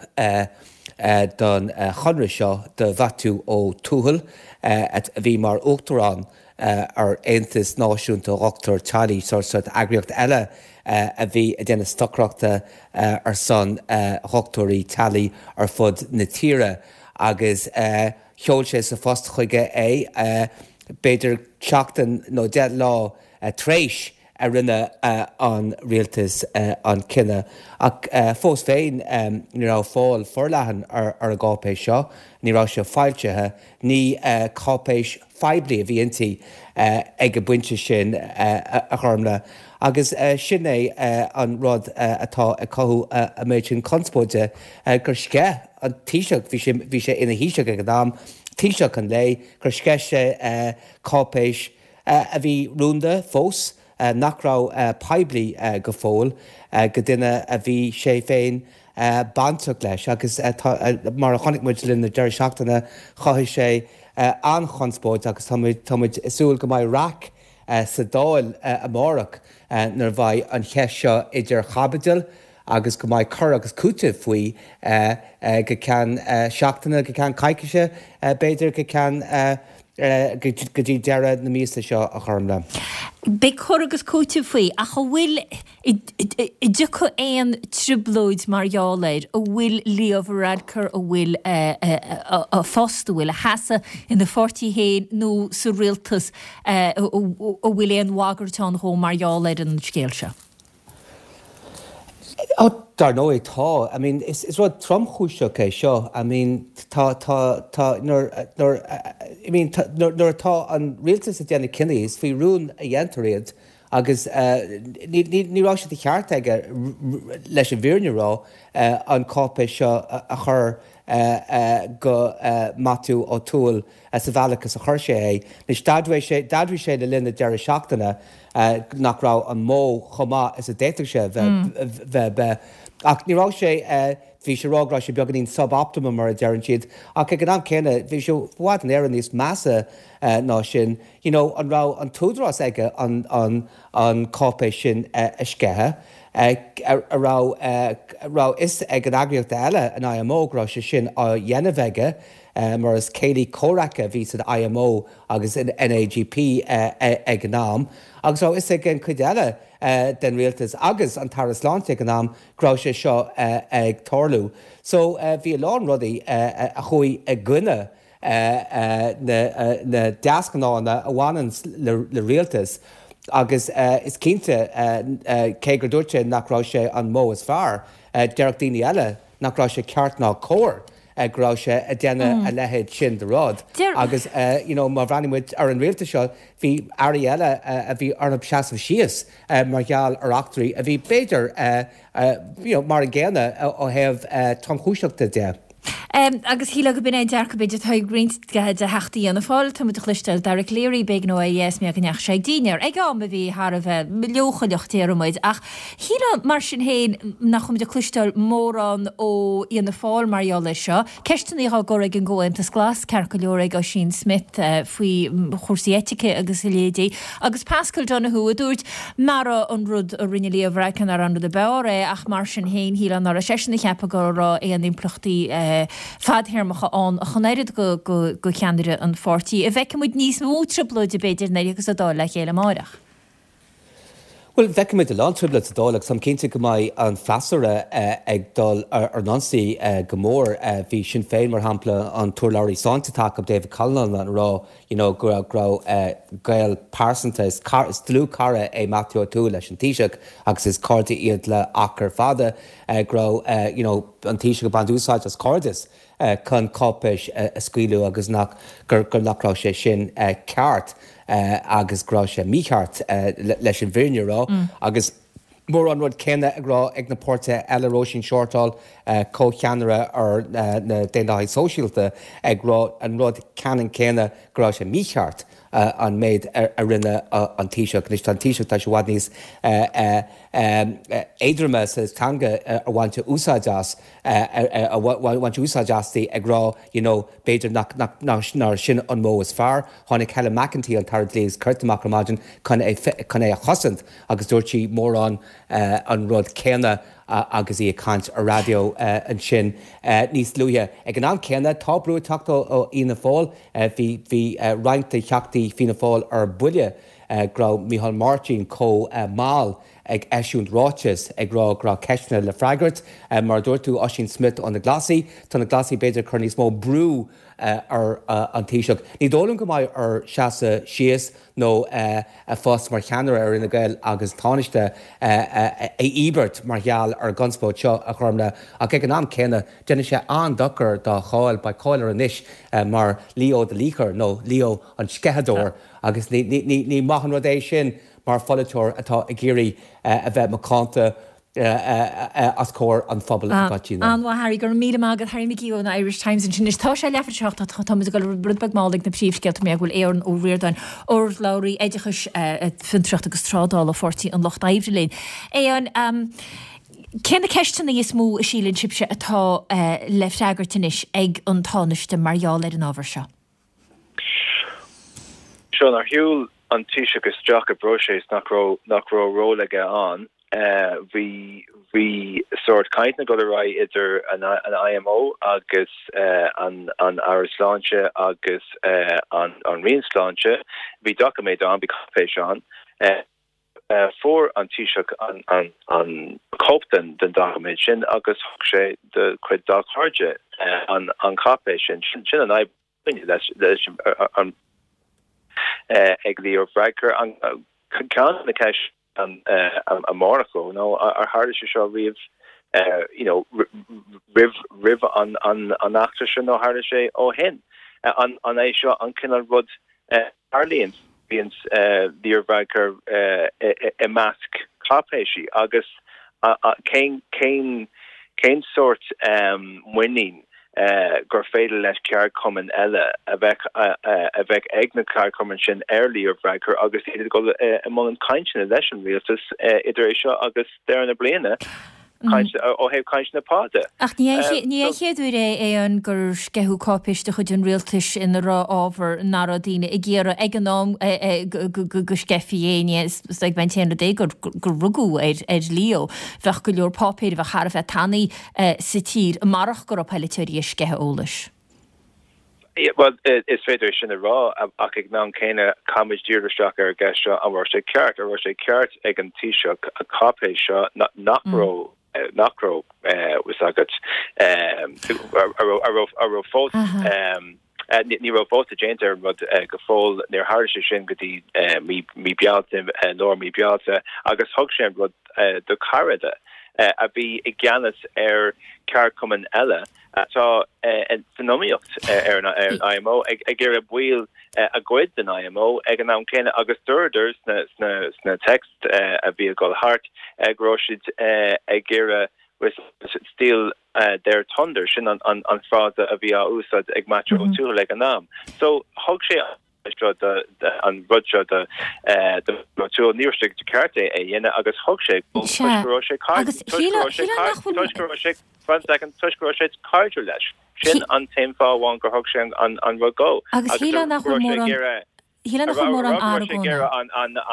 don chonradh seo do Mhaitiú Ó Tuathail, a bhí mar Uachtarán ar Aontas Náisiúnta Dhochtúirí Teaghlaigh, sórt eagraíocht eile a bhí ag déanamh stocaireachta ar son dhochtúirí teaghlaigh ar fud na tíre, agus sheol sé sa phost chuige é, b'fhéidir seachtain nó 10 lá tar éis a rinne an rialtas an cinneadh. Ach fós féin, ní raibh fáil forleathan ar an gcáipéis seo, ní raibh sé foilsithe, ní cáipéis phoiblí a bhí inti ag an bpointe sin, a Ghormlaith. Agus sin é an rud atá ag cothú an méid sin conspóide, gur sceith an Taoiseach, bhí sé ina Thaoiseach ag an am, Taoiseach an lae, gur sceith sé cáipéis a bhí rúnda fós, nach raibh poiblí go fóill, go duine a bhí sé féin bainteach leis agus mar a chonaic muid le linn na deireadh seachtaine, chothaigh sé an-chonspóid agus tá muid tá muid ag súil go mbeidh raic sa Dáil amárach nuair a bheidh an cheist seo idir chaibidil agus go mbeidh cur agus cúiteamh faoi go ceann seachtaine, go ceann coicíse, b'fhéidir go ceann go dtí deireadh na míosa seo, a Ghormlaith. Beidh cur agus cúiteamh faoi, ach an bhfuil, an dtiocfaidh aon trioblóid mar gheall air, an bhfuil Leo Varadkar, an bhfuil a phost, an bhfuil a sheasamh ina pháirtí féin nó sa rialtas, an bhfuil aon bhagairt ann dhó mar gheall ar an scéal seo? Ó, dar ndóigh tá. I mean, is is rud tromchúiseach é seo. I mean, tá, tá, tá, nuair, nuair, I mean, tá, nuair, nuair atá an rialtas ag déanamh cinní, is faoi rún a dhéantar iad agus ní, ní, ní raibh sé de cheart aige, leis an bhfírinne a rá, an cáipéis seo a chur go Maitiú Ó Tuathail sa bhealach is a chuir sé é. Anois, d'admhaigh sé, d'admhaigh sé le linn na deireadh seachtaine nach raibh an modh chomh maith is a d'fhéadfadh sé a bheith bheith. Ach ní raibh sé, bhí sé ag rá go raibh sé beagáinín sub-optimum mar a deireann siad, ach ag an am céanna bhí sé i bhfad Éireann níos measa ná sin. You know, an raibh an t-údarás aige an, an, an cáipéis sin a sceitheadh? A raibh, raibh fhios ag an eagraíocht eile, an IMO, go raibh sé sin á dhéanamh aige? mar is céilí comhraic a bhí san IMO agus in NAGP ag an am, agus raibh fhios ag an chuid eile den rialtas agus an tAire Sláinte ag an am go raibh sé seo ag tarlú. So bhí a lán rudaí a chuaigh i gcoinne na deasghnáthanna a bhaineann le rialtas agus is cinnte, cé gur dúirt sé nach raibh sé an modh is fearr, déarfadh daoine eile nach raibh sé ceart ná cóir. go raibh sé ag déanamh a leithéid sin de rud agus you know má bhreathnaíonn muid ar an rialtas seo bhí airí eile a bhí orthu seasamh síos mar gheall ar eachtraí a bhí b'fhéidir you know mar an gcéanna ó thaobh tromchúiseachta de. Agus shílfeá go b'in é an dearcadh b'fhéidir atá ag roinnt de Theachtaí Fhianna Fáil. Tá muid ag cloisteáil Dara Calleary, b'éigean dó éirí as mar go ndeachaigh sé ag dinnéar ag am a bhí thar a bheith leochaileach déarfaidh muid ach Shílfeá, mar sin féin, nach bhfuil muid ag cloisteáil mórán ó Fhianna Fáil mar gheall air seo. Ceisteanna á gcur ag an gComhaontas Glas, ceart go leor, ag Ossian Smyth faoi chúrsaí eitice agus a leithéidí, agus Paschal Donohoe a dúirt nach raibh an rud a rinne Leo Varadkar nach raibh an rud ab fhearr é ach mar sin féin shílfeá nach raibh seisean ag ceapadh go raibh aon impleachtaí fadthéarmacha ann ach an oiread go cheannaire an pháirtí. An bhfeicfidh muid níos mó trioblóide b'fhéidir nuair a thiocfas an Dáil le chéile amáireach. Bhuel, feicfidh muid a lán trioblóid sa Dáil agus táim cinnte go mbeidh an freasúra ag dul ar a n-ionsaí go mór. Bhí Sinn Féin, mar shampla, an t-urlabhraí sláinte atá acu, David Cullinane, ag rá you know go raibh go raibh gaol pearsanta, is is dlúthchara é Matthew O'Toole leis an Taoiseach agus is cairde iad le achar fada, go raibh you know an Taoiseach ag baint úsáid as cairdeas chun cáipéis a scaoileadh agus nach gur nach raibh sé sin ceart agus go raibh sé mícheart leis an bhfírinne a rá agus. Mórán rud céanna ag rá ag na páirtithe eile, Róisín Shortall, comhcheannaire ar na Daonlathaigh Sóisialta, ag rá an rud ceannann céanna go raibh sé mícheart an méid a rinne an Taoiseach. Anois tá an Taoiseach, tá sé i bhfad níos éadroime sa teanga a bhaint úsáid as, a bhaint úsáid asti ag rá you know b'fhéidir nach, nach, nár sin an modh is fearr. Tháinig Helen McEntee, an tAire Dlí agus Cirt amach ar maidin chun é, chun é a chosaint agus dúirt sí mórán an rud céanna agus í ag caint ar raidió ansin níos luaithe. Ag an am céanna tá brú ag teacht ó Fhianna Fáil. Bhí, bhí roinnt de theachtaí Fianna Fáil ar buile go raibh Micheál Martin chomh mall ag eisiúint ráiteas ag rá go raibh ceisteanna le freagairt. Mar a dúirt tú, Ossian Smyth ó na Glasaigh, tá na Glasaigh b'fhéidir ag cur níos mó brú ar an Taoiseach. Ní dóigh liom go mbeidh air seasamh síos nó a phost mar cheannaire ar Fhine Gael agus Tánaiste a íobairt mar gheall ar an gconspóid seo, a Ghormlaith, ach ag an am céanna déanfaidh sé an-dochar dá cháil. Beidh cáil air anois mar Leo the Leaker nó Leo an Sceitheadóir agus ní maith an rud é sin. mar pholaiteoir atá ag iarraidh a bheith macánta os comhair an phobail i gcoitinne. An-mhaith Harry, go raibh míle maith agat. Harry McGee ón Irish Times ansin. Anois tá sé leathuair tar éis a 7 ach tá muid ag dul rud beag mall ag na príomhscéalta mar go bhfuil Aodhán Ó Ríordáin, urlabhraí oideachais, fiontraíochta agus trádála Pháirtí an Lucht Oibre linn. Aodhán, cé na ceisteanna is mó a síleann sibhse atá le freagairt anois ag an Tánaiste mar gheall ar an ábhar seo? Seo nár shiúil an Taoiseach isteach i bpróiseas nach raibh nach raibh ról aige ann. Bhí bhí sórt cainteanna ag dul ar aghaidh idir an an IMO agus an an Aire Sláinte agus an an Roinn Sláinte. Bhí doiciméad ann, bhí cáipéis ann. Fuair an Taoiseach an an cóip den den doiciméad sin agus thug sé do chuid dá chairde an an cháipéis sin. Sin an fhadhb againne leis leis an ag Leo Varadkar. An ceann de na ceisteanna amárach ná ar tharla sé seo riamh you know roimh roimh an an an eachtra seo nó tharla sé ó shin? An an é seo an cineál rud Tarlaíonn, bíonn Leo Varadkar i measc cáipéisí agus cén cén cén sórt muinín gur féidir leis ceardchumainn eile a bheith a bheith ag na ceardchumainn sin ar Leo Varadkar agus iad ag dul i mbun cainteanna leis an rialtas idir é seo agus deireadh na bliana. Caint, ó thaobh cainteanna pá de. Ach ní ní an chéad uair é Aodhán gur sceitheadh cáipéis de chuid an rialtais ina raibh ábhar nach raibh daoine ag iarraidh ag an am go sceithfí é. Ní is ag an t-aon rud é gur rugadh ar Leo. Bheadh go leor páipéir a bheadh thar a bheith tanaí sa tír marach go raibh polaiteoirí ag sceitheadh eolais. Bhuel, is féidir é sin a rá, ach ag an am céanna, caithfimid díriú isteach ar an gceist seo, an raibh sé ceart, an raibh sé ceart ag an Taoiseach an cáipéis seo nach raibh, nach raibh fhios agat, a raibh, a raibh fós, ní raibh vóta déanta ar an rud go fóill, níor tharla sé sin go dtí mí Bealtaine, lár mí Bealtaine, agus thug sé an rud do chara de a bhí i gceannas ar cheardchumann eile. atá san iomaíocht ar an IMO ag iarraidh baill a ghoid den IMO ag an am céanna agus dúradar sna texts a bhí ag dul thart go raibh siad ag iarraidh steal their thunder, sin an frása a bhí á úsáid ag Maitiú Ó Tuathail ag an am. So thug sé seo do an rud seo do Ó Tuathail ní raibh sé de cheart é a dhéanamh agus thug sé toisc go raibh sé Agus toisc go raibh sé toisc go raibh sé one second toisc go raibh sé cairdiúil leis. Sin an t-aon fáth amháin gur thug sé an an rud dó. Agus shílfeá nach bhfuil mórán shílfeá nach bhfuil mórán argóna.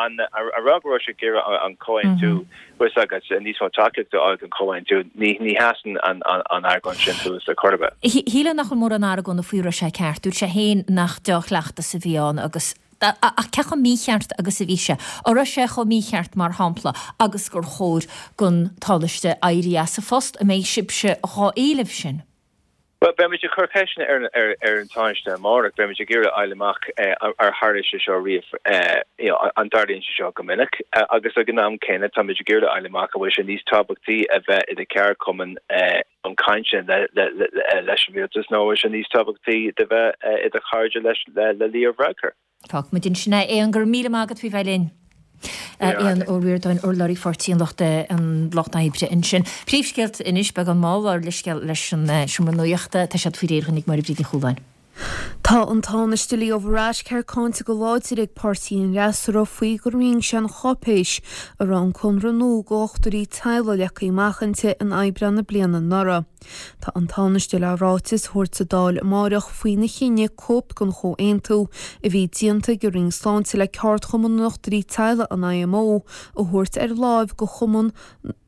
An a rá go raibh sé ag iarraidh an comhaontú Bhfuil fhios agat, níos mó tacaíochta a fháil don chomhaontú, ní sheasann an argóint sin suas ar chor ar bith. Shílfeá nach bhfuil mórán argóna faoi raibh sé ceart. Dúirt sé féin nach deá-chleachtas a bhí ann agus ach cé chomh mícheart agus a bhí sé? An raibh sé chomh mícheart, mar shampla, agus gur chóir don Tánaiste éirí as a phost? An mbeidh sibhse dhá éileamh sin? Bhuel, beimid ag cur ceisteanna ar an Tánaiste amárach. Beimid ag iarraidh a fháil amach ar tharla sé seo riamh, you know, an dtarlaíonn sé seo go minic. Agus ag an am céanna, táimid ag iarraidh a fháil amach an bhfuil sé níos tábhachtaí a bheith i do cheardchumann i mbun cainte leis an rialtas nó an bhfuil sé níos tábhachtaí do bheith i do chairde leis le Leo Varadkar. Fágfaimid ansin é. Aodhán, go raibh míle maith agat faoi bheith linn. Aodhán Ó Ríordáin, urlabhraí Pháirtí an Lucht an Lucht Oibre ansin. Príomhscéalta anois, beagán mall ár leithscéal leis an Seomra Nuachta, tá siad faoi réir dhúinn ag Máire Bríd Ní Chualáin. Tá an Tánaiste Leo Varadkar cáinte go láidir ag páirtí an fhreasúra faoi gur roinn sé an cháipéis a raibh an conradh nua do dhochtúirí teaghlaigh leagtha amach inti in Aibreán na bliana anuraidh. Tá an Tánaiste le ráiteas a thabhairt sa Dáil amáireach faoina chinneadh cóip den chomhaontú a bhí déanta ag an Roinn Sláinte le ceardchumann na ndochtúirí teaghlaigh an IMO a thabhairt ar láimh do chumann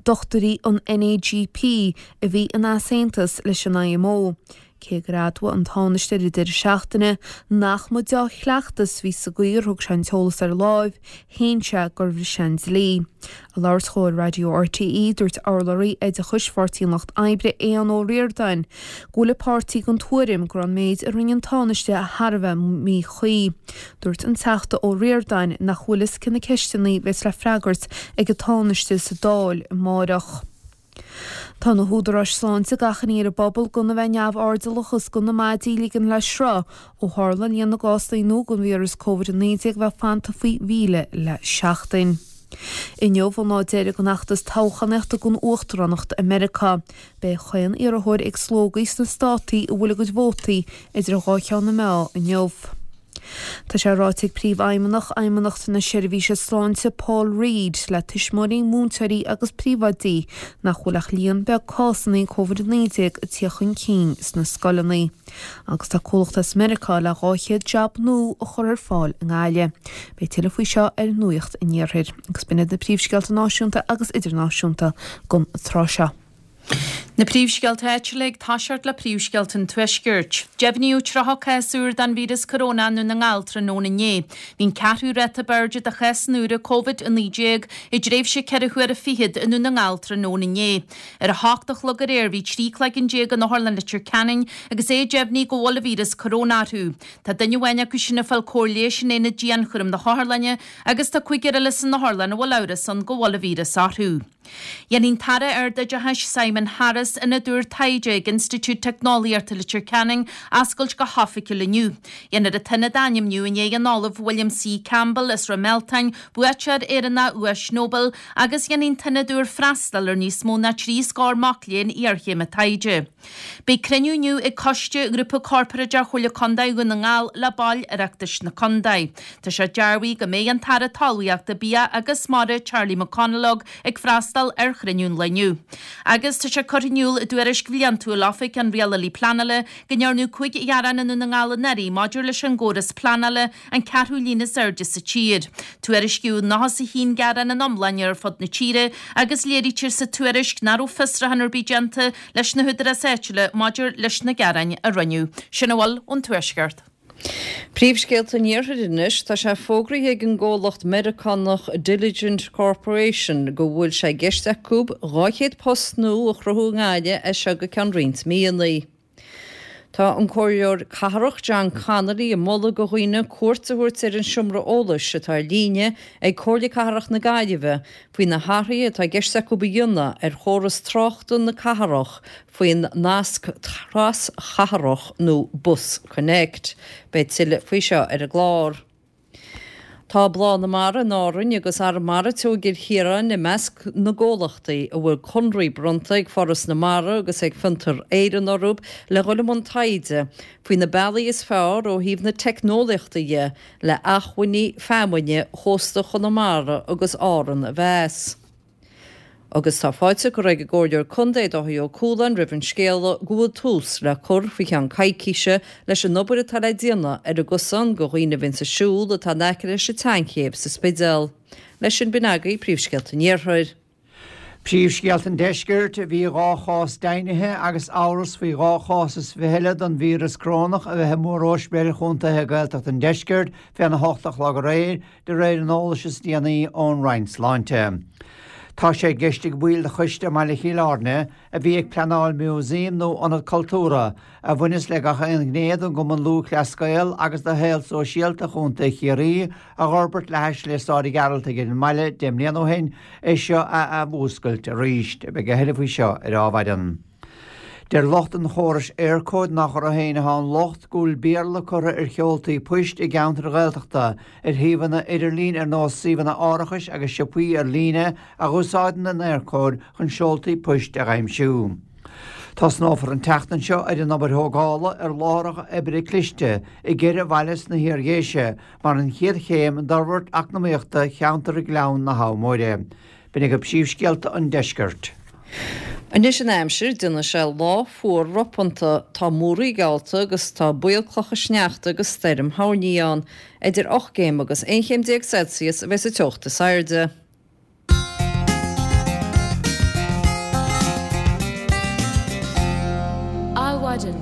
dochtúirí an NAGP a bhí in easaontas leis an IMO. Cé gur admhaigh an Tánaiste ar an deireadh seachtaine nach mba deá-chleachtas a bhí sa gcaoi ar thug sé an t-eolas ar láimh, shéan sé gur bhris sé an dlí. Ag labhairt dhó ar Raidió RTÉ, dúirt urlabhraí oideachais Pháirtí an Lucht Oibre, Aodhán Ó Ríordáin, go bhfuil a pháirtí den tuairim go raibh an méid a rinne an Tánaiste thar a bheith míchuí. Dúirt an Teachta Ó Ríordáin nach bhfuil fhios cé na ceisteanna a bheas le freagairt ag an Tánaiste sa Dáil amáireach. Tá na húdaráis sláinte ag achainí ar an bpobal gan a bheith neamhairdeallach agus gan na maidí a ligean le sruth ó tharla líon na gcásanna nua den víreas Covid-19 bheith fanta faoi 1,000 le seachtain. Inniu an lá deiridh den fheachtas toghchánaíochta don uachtaránacht i Meiriceá. Beidh chaon iarrthóir ag slógadh sna státaí a bhfuil a gcuid vótaí idir dhá cheann na meá inniu. Tá sé ráite ag Príomhfheidhmeannach Fheidhmeannacht na Seirbhíse Sláinte Paul Reid le tuismitheoirí, múinteoirí agus príomhoidí nach bhfuil ach líon beag cásanna Covid-19 ag tíocht chun cinn sna scoileanna. Agus tá comhlacht as Meiriceá le 200 jab nua a chur ar fáil i nGaillimh. Beidh tuilleadh faoi seo ar Nuacht an Iarthair. Agus b'in iad na príomhscéalta náisiúnta agus idirnáisiúnta don tráth seo. Na príomhscéalta áitiúla ag toiseacht le príomhscéalta an Tuaiscirt. Deimhníodh 30 cás úr den víreas corónach i nDún na nGall tráthnóna inné. Bhí an ceathrú ráta ab airde de chásanna úra Covid-19 i dtréimhse ceithre huaire fichead i nDún na nGall tráthnóna inné. Ar a hocht a chlog aréir bhí 13 cloigeann in Otharlann Leitir Ceanainn agus é deimhnithe go bhfuil an víreas corónach orthu. Tá duine amháin acu sin ag fáil cóir leighis in aonad dianchúraim na hotharlainne agus tá cúigear eile san otharlann a bhfuil amhras ann go bhfuil an víreas orthu. Dhéanfaidh an tAire Ardoideachais Simon Harris ionad úr taighde ag Institiúid Teicneolaíochta Leitir Ceanainn a oscailt go hoifigiúil inniu. Dhéanfar an t-ionad a ainmniú i ndiaidh an Ollaimh William C. Campbell as Ráth Mealtain, buaiteoir Éireannach Dhuais Nobel, agus dhéanfaidh an t-ionad úr freastal ar níos mó ná 3 scór mac léinn iarchéime taighde. Beidh cruinniú inniu ag Coiste Ghrúpa Corparáideach Chomhairle Contae Dhún na nGall le baill Oireachtais na Contae. Tá sé dearbhaithe go mbeidh an tAire Talmhaíochta, Bia agus Mara Charlie McConalogue ag freastal ar chruinniú an lae inniu. Agus tá sé curtha in iúl i dtuairisc bhliantúil Oifig an Rialálaí Pleanála go ndearnadh 5 ghearán i nDún na nGall anuraidh maidir leis an gcóras pleanála, an ceathrú líon is airde sa tír. Tuairiscíodh 91 gearán in iomláine ar fud na tíre agus léirítear sa tuairisc nach raibh fiosrúchán ar bith déanta leis na húdaráis áitiúla maidir leis na gearáin a rinneadh. Sin a bhfuil ón Tuaisceart. Príomhscéalta an Iarthair anois, tá sé fógraithe ag an gcomhlacht Meiriceánach Diligent Corporation go bhfuil sé i gceist acu 200 post nua a chruthú i nGaillimh as seo go ceann roinnt míonna. Tá an Comhairleoir Cathrach John Connolly ag moladh do dhaoine cuairt a thabhairt ar an seomra eolais atá ar líne ag Comhairle Cathrach na Gaillimhe faoi na hathruithe atá i gceist acu a dhéanamh ar chóras tráchta na cathrach faoin nasc traschathrach nó Bus Connect. Beidh tuilleadh faoi seo ar an gclár. Tá Bláth na Mara in Árainn agus Arramara Teo i gCill Chiaráin i measc na gcomhlachtaí a bhfuil conraí bronnta ag Foras na Mara agus ag Fiontar Éireann orthu le dhul i mbun taighde faoi na bealaí is fearr ó thaobh na teicneolaíochta dhe le acmhainní feamainne chósta Chonamara agus Árann a mheas. Agus tá fáilte curtha ag an gComhairleoir Contae Dáithí Ó Cualáin roimh an scéala go bhfuil tús le cur faoi cheann coicíse leis an obair atá le déanamh ar an gcosán do dhaoine a bhíonns ag siúl atá in aice leis an tSeanchéibh sa Spidéal. Leis sin b'in agaibh príomhscéalta an Iarthair. Príomhscéalta an Deiscirt, Bhí 2 chás deimhnithe agus amhras faoi 2 chás is 20 eile den víreas corónach a bheith i mór-ospidéil chontaetha Gaeltachta an Deiscirt féna hocht a chlog aréir, de réir an eolais is déanaí ón Roinn Sláinte. Tá sé i gceist ag baill de choiste i mbaile Chill Airne a bhí ag pleanáil músaem nó ionad cultúrtha a bhaineas le gach aon ghné den gCumann Lúthchleas Gael agus de shaol sóisialta Chontae Chiarraí a dh'fhorbairt le hais Slios Sáraí Gearaltaigh ar an mbaile 10 mbliana ó shin, é seo a athmhúscailt arís. Beidh a thuilleadh faoi seo ar Adhmhaidin. Deir lucht an chórais Eircode nach orthu féin atá an locht go bhfuil Béarla curtha ar sheoltaí poist i gceantair Ghaeltachta, ar shuíomhanna idirlín ar nós suíomhanna árachais agus siopaí ar líne a dh'úsáideann an Eircode chun seoltaí poist a dh'aimsiú. Tosnófar an tseachtain seo ar an obair thógála ar láithreacha oibre cliste i gceithre bhaile sna hIar-Dhéise mar an chéad chéim d'fhorbairt eacnamaíochta cheantar Ghleann na hAbha Móire. B'in agaibh príomhscéalta an deiscirt. Anois an aimsir, déanfaidh sé lá fuar ropánta. Tá múraí geallta agus tá baol clocha sneachta agus stoirm thoirní ann. Idir 8 gcéim agus 11 chéim Celsius a bheas an teocht is airde. Adhmhaidin.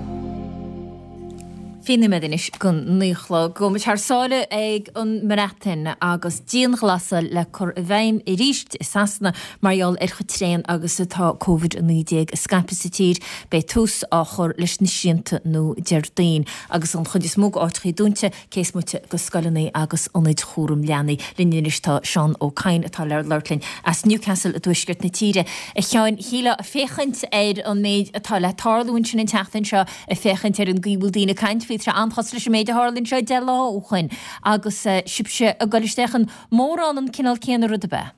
20 nóiméad anois go 9 a chlog. Gabhfaidh muid thar sáile ag an mBreatain agus dianghlasáil le cur i bhfeidhm arís i Sasana mar gheall ar chomh tréan agus atá Covid-19 ag scaipeadh sa tír. Beidh tús á chur leis na srianta nua Déardaoin agus an chuid is mó d'áiteachaí dúnta cé is moite de scoileanna agus ionaid chúram leanaí. Linn anois tá Seán Ó Cadhain atá le labhairt linn as Newcastle i dtuaisceart na tíre. A Sheáin, shílfeá ag féachaint ar an méid atá le tarlú ansin an tseachtain seo, ag féachaint ar an gcaoi a bhfuil daoine ag caint faoi, tá sé an-chosúil leis an méid a tharla anseo 10 lá ó shoin agus sibhse ag dul isteach in mórán an cineál céanna rud ab ea?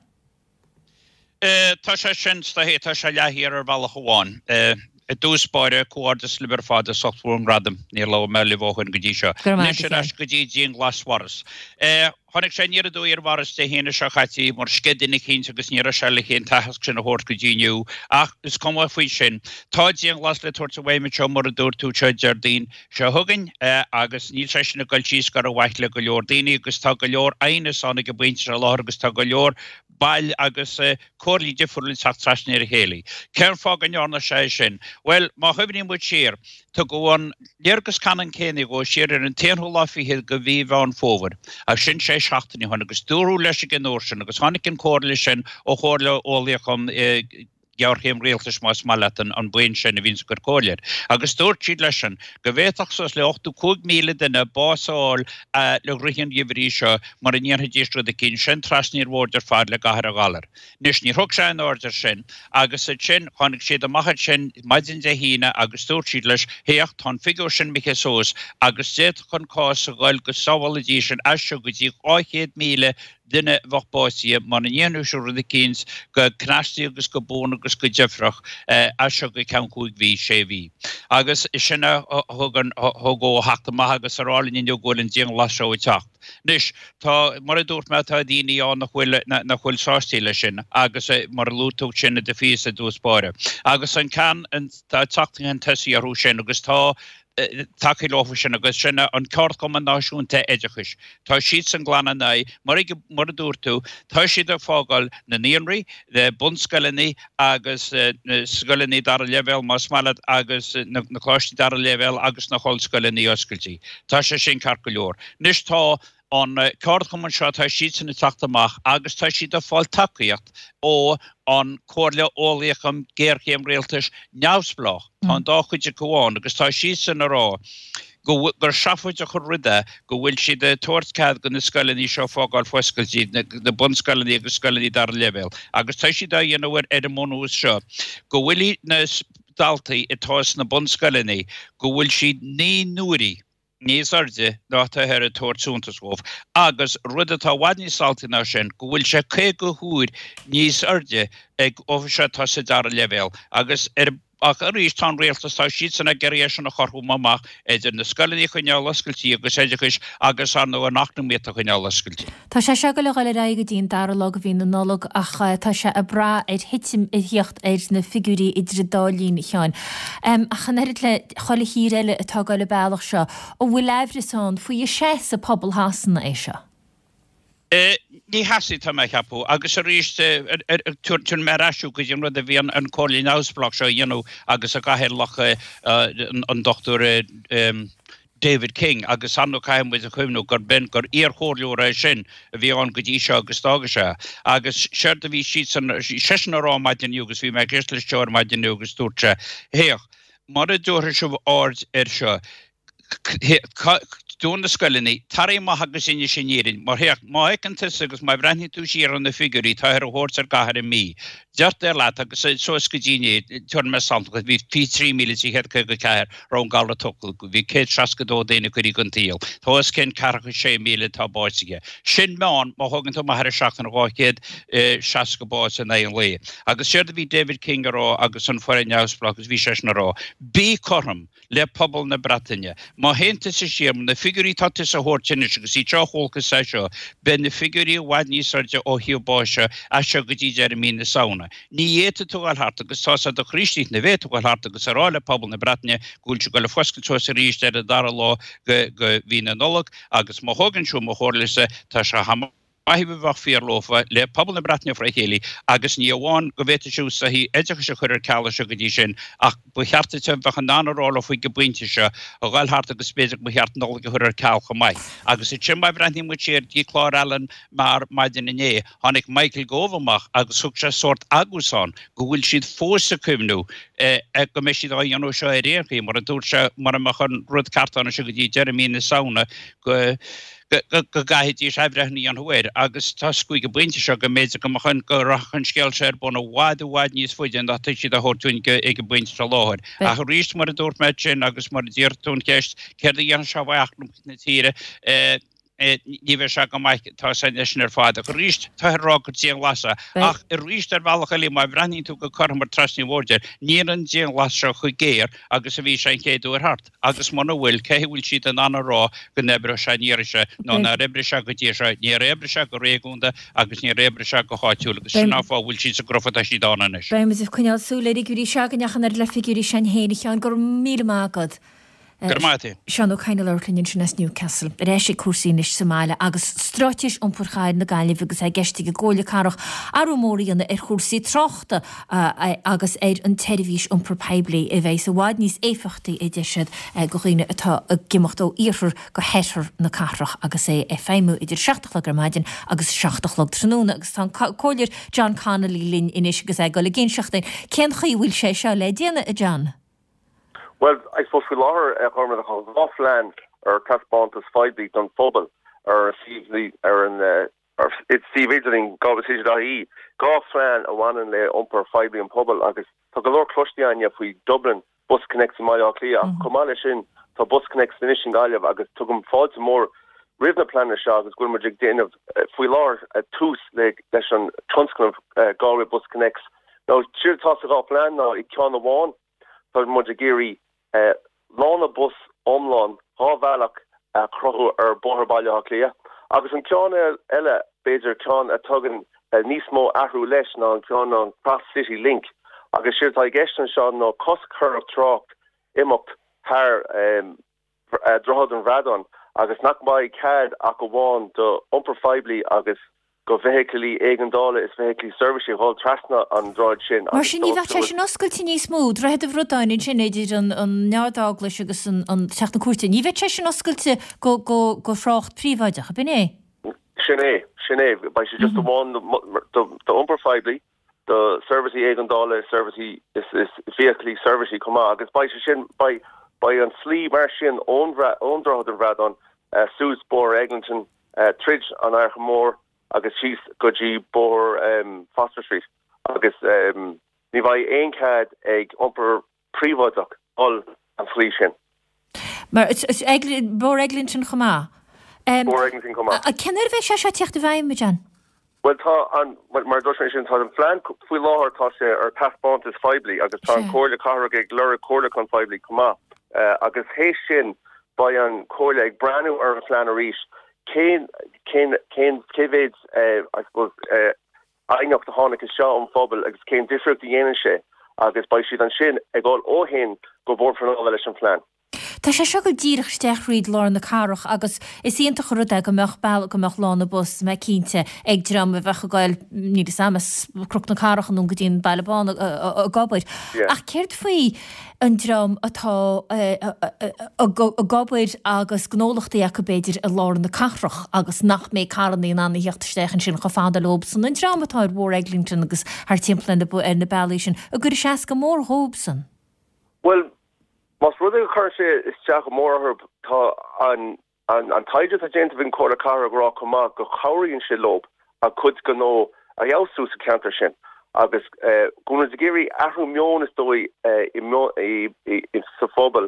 Tá sé sin, tá sé leathfhíor ar bhealach amháin. I dtús báire, comhghairdeas libh ar fad as ucht bhur ngradaim, níor labhair mé libh ó shoin go dtí seo. Anois ar ais go dtí dianghlas Mhaurice. Tháinig sé aniar aduaidh ar Mhaurice Dé hAoine seo caite mar sceith duine eicínt agus ní raibh sé le an t-aitheasc sin a thabhairt go dtí inniu ach is cuma faoi sin. Tá dianghlas le tabhairt i bhfeidhm anseo mar a dúirt tú seo Déardaoin seo chugainn agus níl sé sin ag dul síos go rómhaith le go leor daoine agus tá go leor aighneas ann ag an bpointe seo i láthair agus tá go leor baill agus comhairlí difriúla ag teacht trasna ar a chéile. Cén fáth go ndearna sé é sin? Bhuel, má chuimhníonn muid siar, tugadh an léargas ceannann céanna dhó siar ar an t-aonú lá fichead de mhí Mheán Fómhair, agus sin sé seachtainí ó shin, agus dúradh leis ag an uair sin, agus tháinig an comhairle sin ó Chomhairle Eolaíoch um Ghéarchéim Rialtais, más maith leat, an buíon sin a bhíonns ag cur comhairle air, agus dúirt siad leisean go bhféadfadh suas le 85,000 duine bás a fháil le rith an gheimhridh seo mura ndéanfaidís rud eicínt, sin trasna an bhoird ar fad le gathar an ghalair. Anois, níor thug sé aon aird air sin, agus ansin, tháinig siad amach ansin maidin Dé hAoine agus dúirt siad leis, Féach, tá an figiúr sin imithe suas, agus d'fhéadfadh an cás a ghoil go sábhálfaidís an as seo go dtí 200,000 duine a bheadh básaithe mura ndéanfadh siad rud eicínt go cneastaí agus go buan agus go deifreach as seo go ceann chúig mhí, sé mhí. Agus sin a thug an, thug dhó a theacht amach agus a rá linn inniu go bhfuil an dianghlas seo ag teacht. Anois, tá, mar a dúirt mé, tá daoine ann nach bhfuil, nach bhfuil sásta leis sin agus mar a luaigh tú sin i do phíosa i dtús báire. Agus an ceann, tá teacht chun tosaigh orthu sin agus tá, tacaí leofa sin agus sin an Ceardchumann Náisiúnta Oideachais. Tá siadsan glan ina aghaidh, mar mar a dúirt tú, tá siad ag fágáil na naíonraí, na bunscoileanna agus na scoileanna dara leibhéal más maith leat agus na coláistí dara leibhéal agus na hollscoileanna oscailte. Tá sé sin ceart go leor. Anois tá an ceardchumann seo, tá siadsan ag teacht amach agus tá siad ag fáil tacaíocht ó an Comhairle Eolaíoch um Géarchéim Rialtais neamhspleách. Tá an dá chuid acu ann agus tá siadsan ag rá go gur seafóideach an rud é go bhfuil siad ag tabhairt cead do na scoileanna seo fágáil foscailte, na bunscoileanna agus scoileanna dara leibhéal, agus tá siad á dhéanamh ar an mbunús seo go bhfuil na daltaí atá sna bunscoileanna, go bhfuil siad 9 n-uaire níos airde ná atáthar ag tabhairt suntas dhóibh, agus rud atá i bhfad níos alltaí ná sin, go bhfuil sé 50 huair níos airde ag orthu atá sa dara leibhéal, agus ar Ach arís, tá an rialtas, tá siadsan ag iarraidh é sin a chothromú amach idir na scoileanna a choinneáil oscailte agus oideachais agus, ar ndóigh, an eacnamaíocht a choinneáil oscailte. Tá sé seo ag dul a dhul ar aghaidh go dtí an dara lá de mhí na Nollag ach tá sé ag brath ar thitim a thíocht ar na figiúirí idir an dá linn, a Sheáin. Ach an oiread le chuile thír eile atá ag dul an bealach seo, an bhfuil aimhreas ann faoi an seasamh pobal Shasana é seo? Ní sheasfaidh, tá mé a cheapadh. Agus arís, tabharfaidh mé ar ais thú go dtí an rud a bhí an Comhairle Neamhspleách seo a dhéanamh agus a gcathaoirleach an Dr. David King, agus ar ndóigh caithfidh muid a chuimhniú gur b'in, gur iar-chomhairleoir é sin a bhí ann go dtí seo agus d'fhága sé. Agus séard a bhí siadsan, seisean a rá maidin inniu agus bhí mé ag éisteacht leis seo ar maidin inniu agus dúirt sé, Féach, mura dtabharfaidh sibh aird air seo,. Dún na scoileanna, tar amach agus inis an fhírinne. Mar féach, má fheiceann tusa agus má bhreathnaíonn tú siar ar na figiúirí atáthar a thabhairt ar an gcathair an mí, deirtear leat agus suas go dtí inné, tabharfaidh mé sampla, bhí 23,354 raibh an galar tugtha acu, bhí 162 daoine curtha den tsaol, tá os cionn 46,000 atá básaithe. Sin meán, má thógann tú amach ar an seachtain, 260 bás in aghaidh an lae. Agus séard a bhí David King a rá agus an foireann neamhspleách agus bhí seisean a rá, bí cothrom! le pobal na Breataine. Má théann tusa siar, na figiúirí atá tusa a thabhairt anois agus iad seo a chualthas é seo, beidh na figiúirí i bhfad níos airde ó thaobh báis as seo go dtí deireadh mí na Samhna. Ní fhéadfaidh tú a dhul thart agus tá's a'd do Chríostaithe ní bhféadfaidh tú a dhul thart agus a rá le pobal na Breataine go bhfuil siad ag dul ag foscailt suas arís ar an dara lá de mhí na Nollag agus má thógann tú mo chomhairlese tá sé chomh maith a bheadh fíor leofa le pobal na Breataine fré chéile agus ní amháin go bhféadfaidh siad soithí oideachais a chur ar ceal as seo go dtí sin ach ba cheart duit a bheith in ann a rá leofa ag an bpointe seo a dhul thart agus b'fhéidir go mba cheart Nollaig a chur ar ceal chomh maith. Agus ansin má bhreathnaíonn muid siar dtí clár Alan Maher maidin inné, tháinig Michael Gove amach agus thug sé sórt agúsán go bhfuil siad fós ag cuimhniú go mbeidh siad á dhéanamh seo ar aon chaoi mar a dúirt sé mura mbeadh an rud ceart ann as seo go dtí deireadh mí na Samhna go go gcaithfidís athbhreithniú a dhéanamh air agus tá ag an bpointe seo go mb'fhéidir go mbeadh an, go rachadh an scéal seo ar bun i bhfad i bhfad níos faide ná tá siad á thabhairt dúinn ag an bpointe seo láthair. Ach arís, mar a dúirt mé ansin agus mar a d'iarr tú an cheist, céard a dhéanfaidh sé d'eacnamaíocht na tíre, ní bheidh sé go maith, tá sé sin ar fad. Ach arís, táthar ag rá gur dianghlasáil é. Ach arís, ar bhealach eile, má bhreathnaíonn tú go cothrom ar trasna an bhoird air, níl an dianghlasáil seo chomh géar agus a bhí sé an chéad uair thart. Agus muna bhfuil, cé a bhfuil siad in ann a rá go n-oibreoidh sé an iarraidh seo, nó nár oibrigh sé go dtí seo? Níor oibrigh sé go réigiúnda agus níor oibrigh sé go háitiúil agus sin an fáth a bhfuil siad sa gcruth atá siad ann anois. Beidh muid ag coinneáil súil ar fhigiúirí s'againn ach an oiread le figiúirí s'againn féin, a Sheáin. Go raibh míle maith agat. Go raibh maith agat. Seán Ó Cadhain ag labhairt linn ansin as Newcastle. Ar ais ag cúrsaí anois sa mbaile agus Straitéis Iompair Chathair na Gaillimhe agus é i gceist ag an gComhairle Cathrach athrú mór a dhéanamh ar chúrsaí tráchta agus ar an tseirbhís iompair poiblí a bheidh i bhfad níos éifeachtaí, a deir siad, do dhaoine atá ag imeacht ó iarthar go hoirthear na cathrach agus é ag feidhmiú idir 7 a chlog ar maidin agus 7 a chlog tráthnóna. Agus tá an Comhairleoir John Connolly linn anois agus é ag dul ag inseacht dúinn cén chaoi a bhfuil sé seo le déanamh, a John. Bhuel, I suppose faoi láthair, a Ghormaid, tá 2 phlean ar taispeántas phoiblí don phobal ar an ar an suíomh idirlín galwaycity.ie, 2 phlean a bhaineann le iompar phoiblí an pobail agus tá go leor cloiste againne faoi Dublin Bus Connects i mBaile Átha Cliath ach chomh maith leis sin tá Bus Connects anois i nGaillimh agus tugaim fáilte mór roimh na pleananna seo agus go bhfuil muid ag déanamh faoi láthair tús leis an tionscnamh Galway Bus Connects. Now séard atá sa dhá phlean ná i gceann amháin Tá muid ag iarraidh lána bus iomlán 2 bhealach a chruthú ar Bhóthar Bhaile Átha Cliath agus an ceann eile, b'fhéidir ceann a tugann níos mó athrú leis ná an ceann ná an Cross City Link agus séard atá i gceist anseo ná cos a chur ar trácht imeacht thar Droichead an Bhradáin agus nach mbeidh cead ach amháin d'iompar phoiblí agus do bhfeithicilí éigeandála is feithiclí seirbhíse a dhul trasna an droichid sin Mar sin ní bheadh sé sin oscailte níos mó, Droichead an Bhradáin ansin idir an Ard-Eaglais agus an Teach na Cúirte, ní bheadh sé sin oscailte go thrácht príobháideach, ab in é? Sin é, sin é. Beidh sé just amháin d'iompar phoiblí. do seirbhísí éigeandála, seirbhísí is feithiclí seirbhísí chomh maith agus beidh sé sin, beidh, beidh an slí mar sin ón ón Droichead an Bhradáin suas Bóthar Eglinton, tríd an Fhairche Mhór agus síos go dtí Bóthar Foster Street agus ní bheidh aon cead ag iompar príobháideach dul an tslí sin. Mar, Bóthar Eglinton chomh maith. Bóthar Eglinton chomh maith. Cén uair a bheidh sé seo ag teacht i bhfeidhm, a John? Bhuel tá an, mar a dúirt mé ansin, tá an phlean faoi láthair, tá sé ar taispeántas phoiblí agus tá an Comhairle Cathrach ag lorg comhairliúchán phoiblí chomh maith. Agus théis sin beidh an Comhairle ag breathnú ar an phlean arís, cén, cén, cén, cé mhéid, I suppose, aighneacht a tháinig isteach ón phobal agus cén difríocht a dhéanann sé agus beidh siad ansin ag dul ó shin go Bord Pleanála leis an phlean. Tá sé seo ag dul díreach isteach thríd lár na cathrach agus is iontach an rud é go mbeadh bealach, go mbeadh lána bus, mé cinnte, ag dream a bheadh ag goil, níl fhios a'm, as Cnoc na Cathrach anonn go dtí an Baile Bán ag obair. Ach céard faoi an dream atá ag obair agus gnólachtaí acu b'fhéidir i lár na cathrach agus nach mbeidh carrannaí in ann a theacht isteach ansin chomh fada leobsan, an dream atá ar Bhóthar Eglinton agus thart timpeall ar na bealaí sin, an gcuirfidh sé as go mór dhóibhsan? Bhuel, más rud é go gcuireann sé isteach go mór orthu, tá an. An taighde atá déanta ag an Chomhairle Cathrach ag rá chomh maith go chabhraíonn sé leo a gcuid gnó a fheabhsú sa cheantar sin agus go bhfuil muid ag iarraidh athrú meoin is dóigh sa phobal,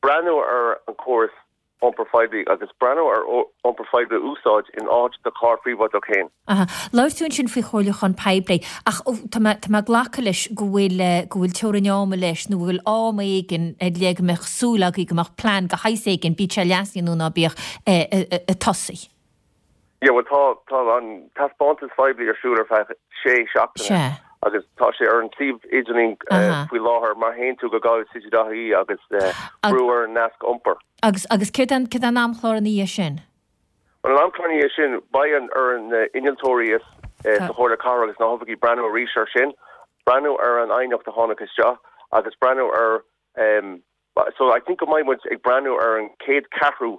breathnú ar an chóras iompair phoiblí agus breathnú ar iompar poiblí a úsáid in áit do charr príobháideach féin. Aha. Labhair tú ansin faoi chomhairliúchán poiblí, ach tá mé, tá mé ag glacadh leis go bhfuil, go bhfuil teorainn ama leis nó go bhfuil am éigin ar leith go mbeadh súil agaibh go mbeadh plean de shaghas éigin, bíodh sé leasaithe nó ná bíodh, ag tosaí. Yeah, bhuel tá, tá an taispeántas phoiblí ar siúl ar feadh sé seachtaine Sea. agus tá sé ar an suíomh idirlín Aha. faoi láthair má théann tú go gaillimhcity.ie agus brú ar an nasc iompair. Agus, agus céard é an, céard é an amchlár ina dhiaidh sin? Bhuel an amchlár ina dhiaidh sin, beidh an, ar na innealtóirí is, sa Chomhairle Cathrach agus na hoifigigh breathnú arís ar sin, breathnú ar an aighneacht a tháinig isteach agus breathnú ar, So I think go mbeidh muid ag breathnú ar an chéad cheathrú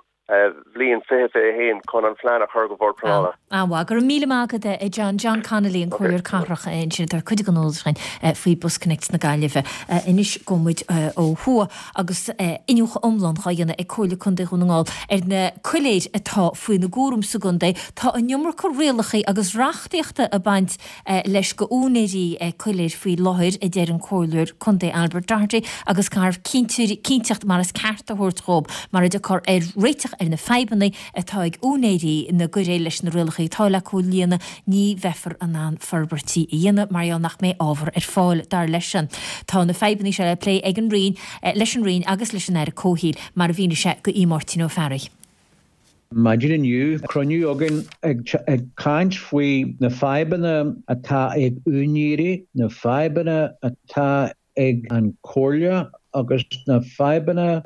bhliain 2021 chun an phlean a chur go Bhord Pleanála. An-mhaith. Go raibh míle maith agat a John. John Connolly, an Comhairleoir Cathrach ansin ag tabhairt cuid den eolas dúinn faoi BusConnects na Gaillimhe. Anois gabhfaidh muid ó thuaidh agus iniúchadh iomlán dhá dhéanamh ag Comhairle Contae Dhún na nGall ar na coiléir atá faoina gcúram sa gcontae. Tá an iomarca rialacha agus reachtaíochta ag baint leis go úinéirí coiléir faoi láthair, a deir an Comhairleoir Contae Albert Doherty, agus caithfear cinnteacht mar is ceart a thabhairt dhób mara dtiocfar ar réiteach ar na fadhbanna atá ag úinéirí na gcoiréal leis na rialacha atá le comhlíonadh, ní bheifear in ann forbairtí a dhéanamh mar gheall nach mbeidh ábhar ar fáil, dar leisean. Tá na fadhbanna seo le plé ag an Roinn, leis an Roinn agus leis an Aire Comhshaoil, mar a mhínigh sé go Aodh Máirtín Ó Fearraigh. Maidin inniu, cruinniú againn ag caint faoi na fadhbanna atá ag úinéirí, na fadhbanna atá ag an Chomhairle agus na fadhbanna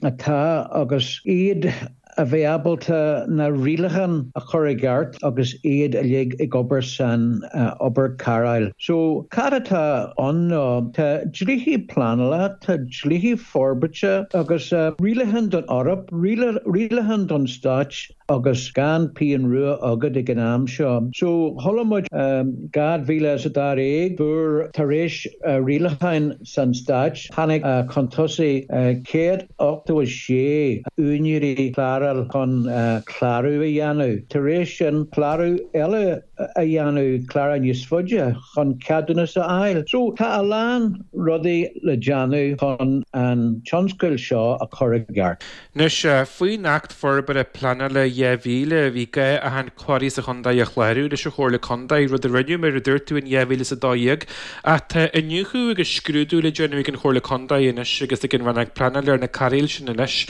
atá agus iad a bheith ábalta na rialacháin a chur i gceart agus iad uilig ag obair san obair cairéil. So, cad atá ann ná tá dlíthe pleanála, tá dlíthe forbairte agus rialacháin don Eoraip, rialacháin don Stáit agus gan pingin rua agat ag an am seo. So chuala muid 2012 fuair tar éis rialacháin san Stáit tháinig chun tosaigh 186 úinéirí cláráil chun clárú a dhéanamh. Tar éis sin clárú eile a dhéanamh, clárú níos faide chun ceadúnas a fháil. So tá a lán rudaí le déanamh chun an tionscal seo a chur i gceart. Anois, faoin Acht Forbartha Pleanála 2000, bhí gá achan quarry sa chontae a chlárú leis an Chomhairle Contae, rud a rinneadh, mar a dúirt tú, in 2012. Ach tá iniúchadh agus scrúdú le déanamh ag an Chomhairle Contae anois agus ag an Rannóg Pleanála ar na cairéil sin anois.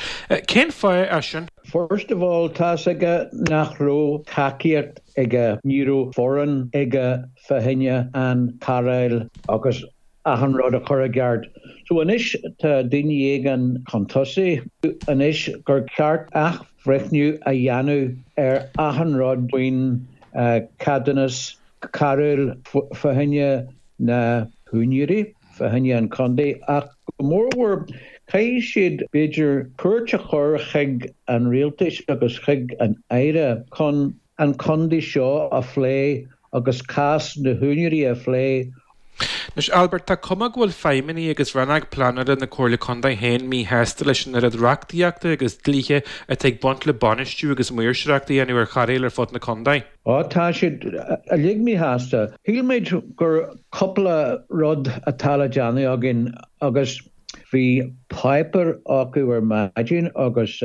Cén fáth é sin? First of all, tá's aige nach raibh tacaíocht aige, ní raibh foireann aige fá choinne an cairéil agus achan rud a chur i gceart. So anois tá daoine éigin chun tosaigh anois gur ceart athbhreithniú a dhéanamh ar achan rud faoin ceadúnas cairéil fá choinne na húinéirí, fá choinne an chontae ach go mórmhór caithfidh siad b'fhéidir cuairt a chur chuig an rialtais agus chuig an Aire chun an contae seo a phlé agus cás na húinéirí a phlé. Anois, Albert, tá cuma go bhfuil feidhmeannaigh agus rannóg pleanála na Comhairle Contae féin míshásta leis an oiread reachtaíochta agus dlíthe atá ag baint le bainistiú agus maoirseoireacht a dhéanamh ar chairéil ar fud na contae. Á, tá siad uilig míshásta. Shíl muid gur cúpla rud atá le déanamh againn agus bhí páipéar acu ar maidin agus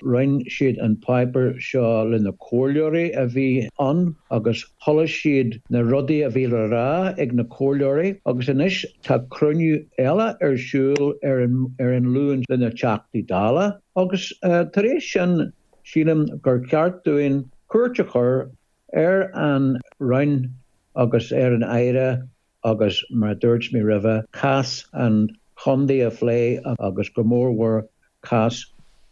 roinn siad an páipéar seo le na comhairleoirí a bhí ann agus chuala siad na rudaí a bhí le rá ag na comhairleoirí agus anois tá cruinniú eile ar siúl ar an ar an Luan le na Teachtaí Dála agus tar éis sin sílim gur ceart dúinn cuairt a chur ar an Roinn agus ar an Aire agus, mar a dúirt mé roimhe, cás an chontae a phlé agus go mórmhór cás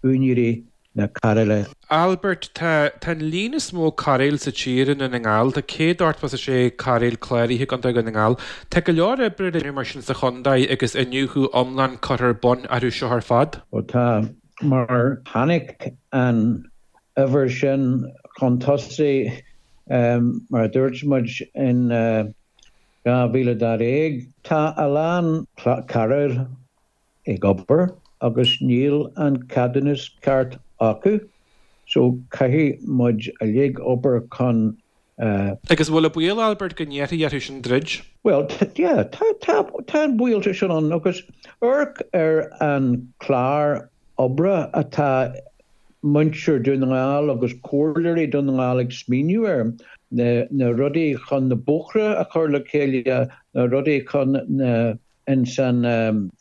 úinéirí na cairéile. Albert, Tá, tá an líon is mó cairéil sa tír i nDún na nGall, tá 186 cairéal cláraithe i gContae Dhún na nGall. Tá go leor oibre le déanamh mar sin sa chontae agus iniúchadh iomlán curtha ar bun orthu seo ar fad. Ó tá, mar tháinig an uimhir sin chun tosaigh, mar a dúirt muid in 2012. Tá a lán cairéil ag obair agus níl an ceadúnas ceart acu. So caithfidh muid uilig obair chun Agus an bhfuil an baol, Albert, go n-iarrfaí orthu sin druid? Bhuel, yeah, tá, tá, tá an baol sin ann agus amharc ar an clár oibre atá muintir Dún na nGall agus comhairleoirí Dún na nGall ag smaoineamh air, na, na rudaí chun na bóithre a chur le chéile, na rudaí chun na, ins an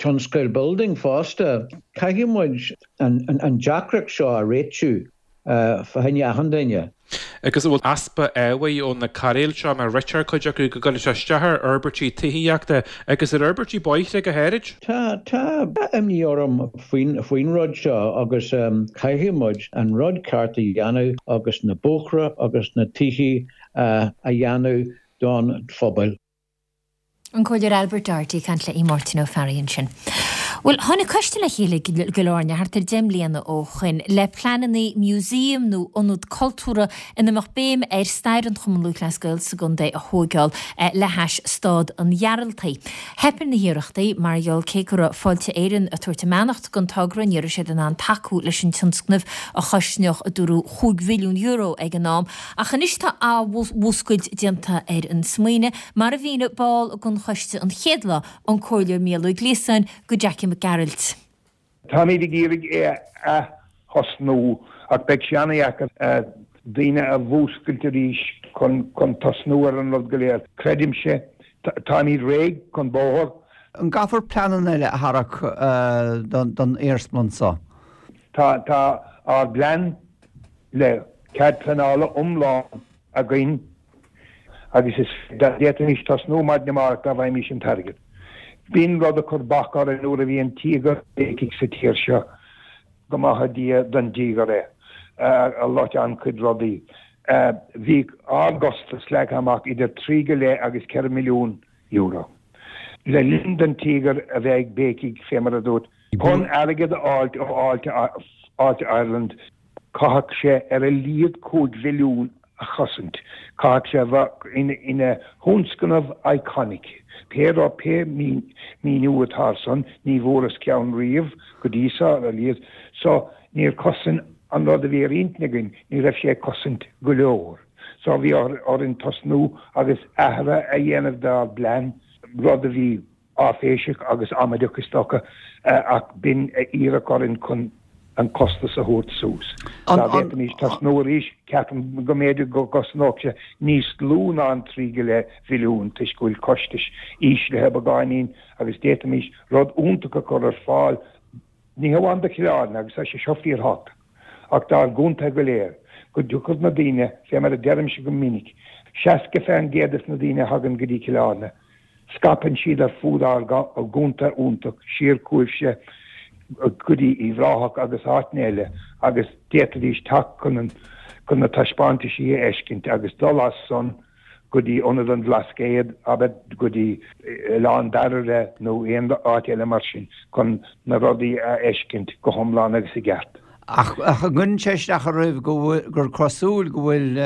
tionscal building fosta. Caithfidh muid an, an deacracht seo a réitiú. fá choinne achan duine. Agus an bhfuil easpa ábhair ó na cairéil seo, mar ritear cuid acu, go gcuireann sé isteach ar fhorbairtí tithíochta agus ar fhorbairtí bóithre go háirid? Tá, tá imní orm faoin, faoin rud seo agus caithfidh muid an rud ceart a dhéanamh agus na bóithre agus na tithe a dhéanamh don phobal. An Comhairleoir Albert Doherty ag caint le Máirtín Ó Fearraigh ansin. Bhuel, tháinig coiste le chéile i gCill Airne thart ar 10 mbliana ó shoin le pleananna museum nó ionad cultúrtha ina mbeadh béim ar stair an Chumann Lúthchleas Gael sa gcontae a thóigeáil le hais Stád an Ghearaltaigh. Theip ar na hiarrachtaí mar gheall cé go raibh Fáilte Éireann ag tabhairt a mbeannacht don togra ní raibh siad in ann tacú leis an tionscnamh a chosnódh a dúradh €5 mhilliún ag an am. Ach anois tá athmhúscailt déanta ar an smaoineamh, mar a mhínigh ball den choiste an chéad lá, an Comhairleoir Mícheál Ó Gliasáin, do Jackie Mac Gearailt. Táimid ag iarraidh é a ath-thosnú ach beidh sé an-dheacair daoine a mhúscailt arís chun tosnú ar an rud go léir. Creidimse, táimid réidh chun bóthair. An gcaithfear pleananna eile a tharrac don iarsmalann seo? Tá ár bplean le cead pleanála iomlán againn agus is d'fhéadfaimis tosnú maidin amárach dá bhfaighimís an t-airgead. B'in rud a chuir bac orainn nuair a bhí an tíogar ag béicigh sa tír seo, go maithe Dia don dtíogar é, a loit an-chuid rudaí. Bhí ár gcostas leagtha amach idir 3 go leith agus 4 milliún euro. Le linn don tíogar a bheith ag béicigh, fé mar a dúirt, Chun airgead a fháilt ó Fháilte Ireland caithfeadh sé ar a laghad 5 mhilliún a chosaint. Caithfeadh sé a bheith ina thionscnamh iconic. Pé rud, pé míniú atá ar san, ní bhfuaireas ceann riamh go dtí seo, ar a laghad. So, níor chosain an rud a bhí ar intinn againn, ní raibh sé ag cosaint go leor. So, bhí orainn tosnú agus athruithe a dhéanamh dár bplean, rud a bhí. áiféiseach agus amaideach is dócha, ach b'in a iarradh orainn chun an costas a thabhairt suas. Dá bhféadfaimis tosnú arís, ceapaim go mb'fhéidir go gcosnódh sé níos lú ná an 3 go leith mhilliún toisc go bhfuil costais íslithe beagáinín agus d'fhéadfaimis rud iontach a chur ar fáil Ní hamháin do Chill Airne, agus tá sé seo fíorthábhachtach, ach dár gcontae go léir, go dtiocfadh na daoine, fé mar a deirimse go minic, 60 fén gcéad des na daoine a thagann go dtí Cill Airne, scaipeann siad ar fud ár gcontae iontach, siar chugaibhse go dtí Uíbh Ráthach agus áiteanna eile agus d'fhéadfaidís teacht chun na taispeántaisí a fheiscint agus dul as san go dtí Ionad an Bhlascaoid, abair, go dtí Oileán Barraire nó aon áit eile mar sin chun na rudaí a fheiscint go hiomlán agus i gceart. Ach an gcuireann sé isteach oraibh go bhfuil, gur cosúil go bhfuil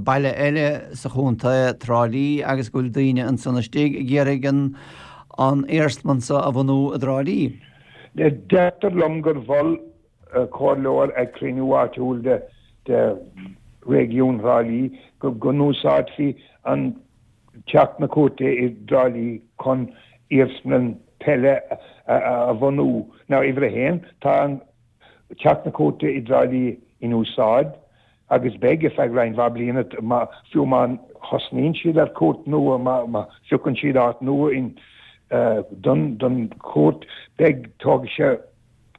baile eile sa chontae, Trá Lí, agus go bhfuil daoine ansan istigh ag iarraidh an an iarsmalann seo a bhunú i dTrá Lí? Deirtear liom gur mhol comhairleoir ag cruinniú áitiúil de réigiún Thrá Lí go n-úsáidfí an Teach na Cúirte i dTrá Lí chun iarsmalann peile a bhunú. Now, uimhir a haon, tá an Teach na Cúirte i dTrá Lí in úsáid agus beidh ar feadh roinnt mhaith bliana, fiú má thosnaíonn siad ar chúirt nua, má phiocann siad áit nua don chúirt, beidh, tógfaidh sé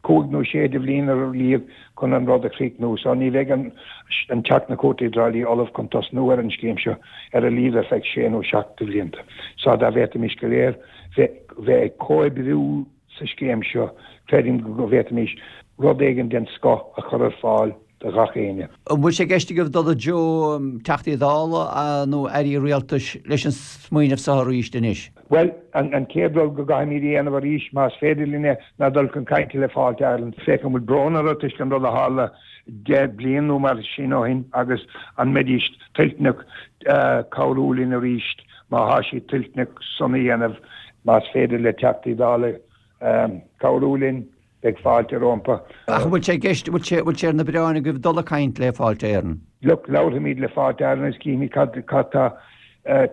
cúig nó sé de bhliain ar a laghad chun an rud a chríochnú. So ní bheidh an Teach na Cúirte i dTrá Lí ullamh chun tosnú ar an scéim seo ar a laghad ar feadh sé nó seacht de bhlianta. So dá bhféadfaimis go léir bheith ag comhoibriú sa scéim seo, creidim go bhféadfaimis rud éigin den scoth a chur ar fáil do ghach éinne. An bhfuil sé i gceist agaibh dul i dtreo Teachtaí Dála nó Airí Rialtais leis an smaoineamh seo arís anois? Bhuel, an chéad rud go gcaithfimid a dhéanamh arís, más féidir linn é, ná dul chun cainte le Fáilte Ireland, féach an bhfuil brón orthu toisc an rud a tharla 10 bliain nó mar sin ó shin agus an mbeidís toilteanach cabhrú linn arís, má thá siad toilteanach san a dhéanamh, más féidir le Teachtaí Dála cabhrú linn. Beidh fáilte rompu. Ach an bhfuil sé i gceist, bhfuil sé, bhfuil sé ar na bioráin agaibh dul ag caint le Fáilte Éireann? Look, labharfaimid le Fáilte Éireann agus cífimid cad, cad tá,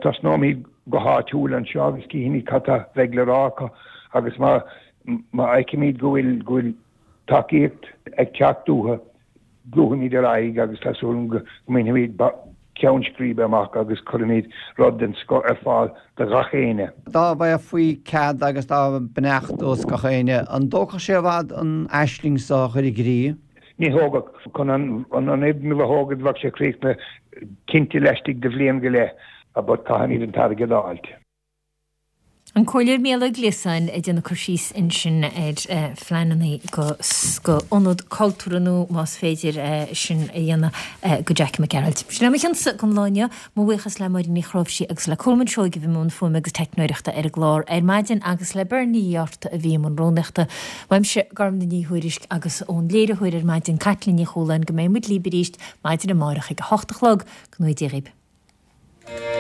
tosnóimid go háitiúil anseo agus cífimid cad tá, bheidh le rá acu agus má, má fheicimid go bhfuil, go bhfuil tacaíocht ag teacht uathu, Gabhfaimid ar aghaidh agus tá súil agam go mbainfimid ceann scríbe amach agus cuirfimid rud den scoth ar fáil do ghach éinne. Dá bhfaighfí cead agus dá beannacht os gach éinne, an dtógfadh sé i bhfad an aisling so a chur i gcrích? Ní thógfadh. Chun an fhoirgneamh a thógaint bheadh sé críochnaithe cinnte laistigh de bhliain go leith but caithfimid an t-airgead a fháilt. An Comhairleoir Mícheál Ó Gliasáin ag déanamh cur síos ansin ar phleananna go ionad cultúrtha nua más féidir sin a dhéanamh go Jackie Mac Gearailt. Sin é mo chionsa don lá inniu. Mo bhuíochas le Máirín Ní Chnáimhsí agus le Colmán Seoighe a bhí i mbun fuaime agus teicneoireachta ar an gclár ar maidin agus le Bernie Uí Fhátharta a bhí i mbun rúnaíochta. Uaimse, Gormfhlaith Ní Thuairisg agus ón léiritheoir ar maidin, Caitlín Ní Chualáin, go mbeidh muid libh arís maidin amárach ag a hocht a chlog. Go ngnóthaí Dia dhaoib.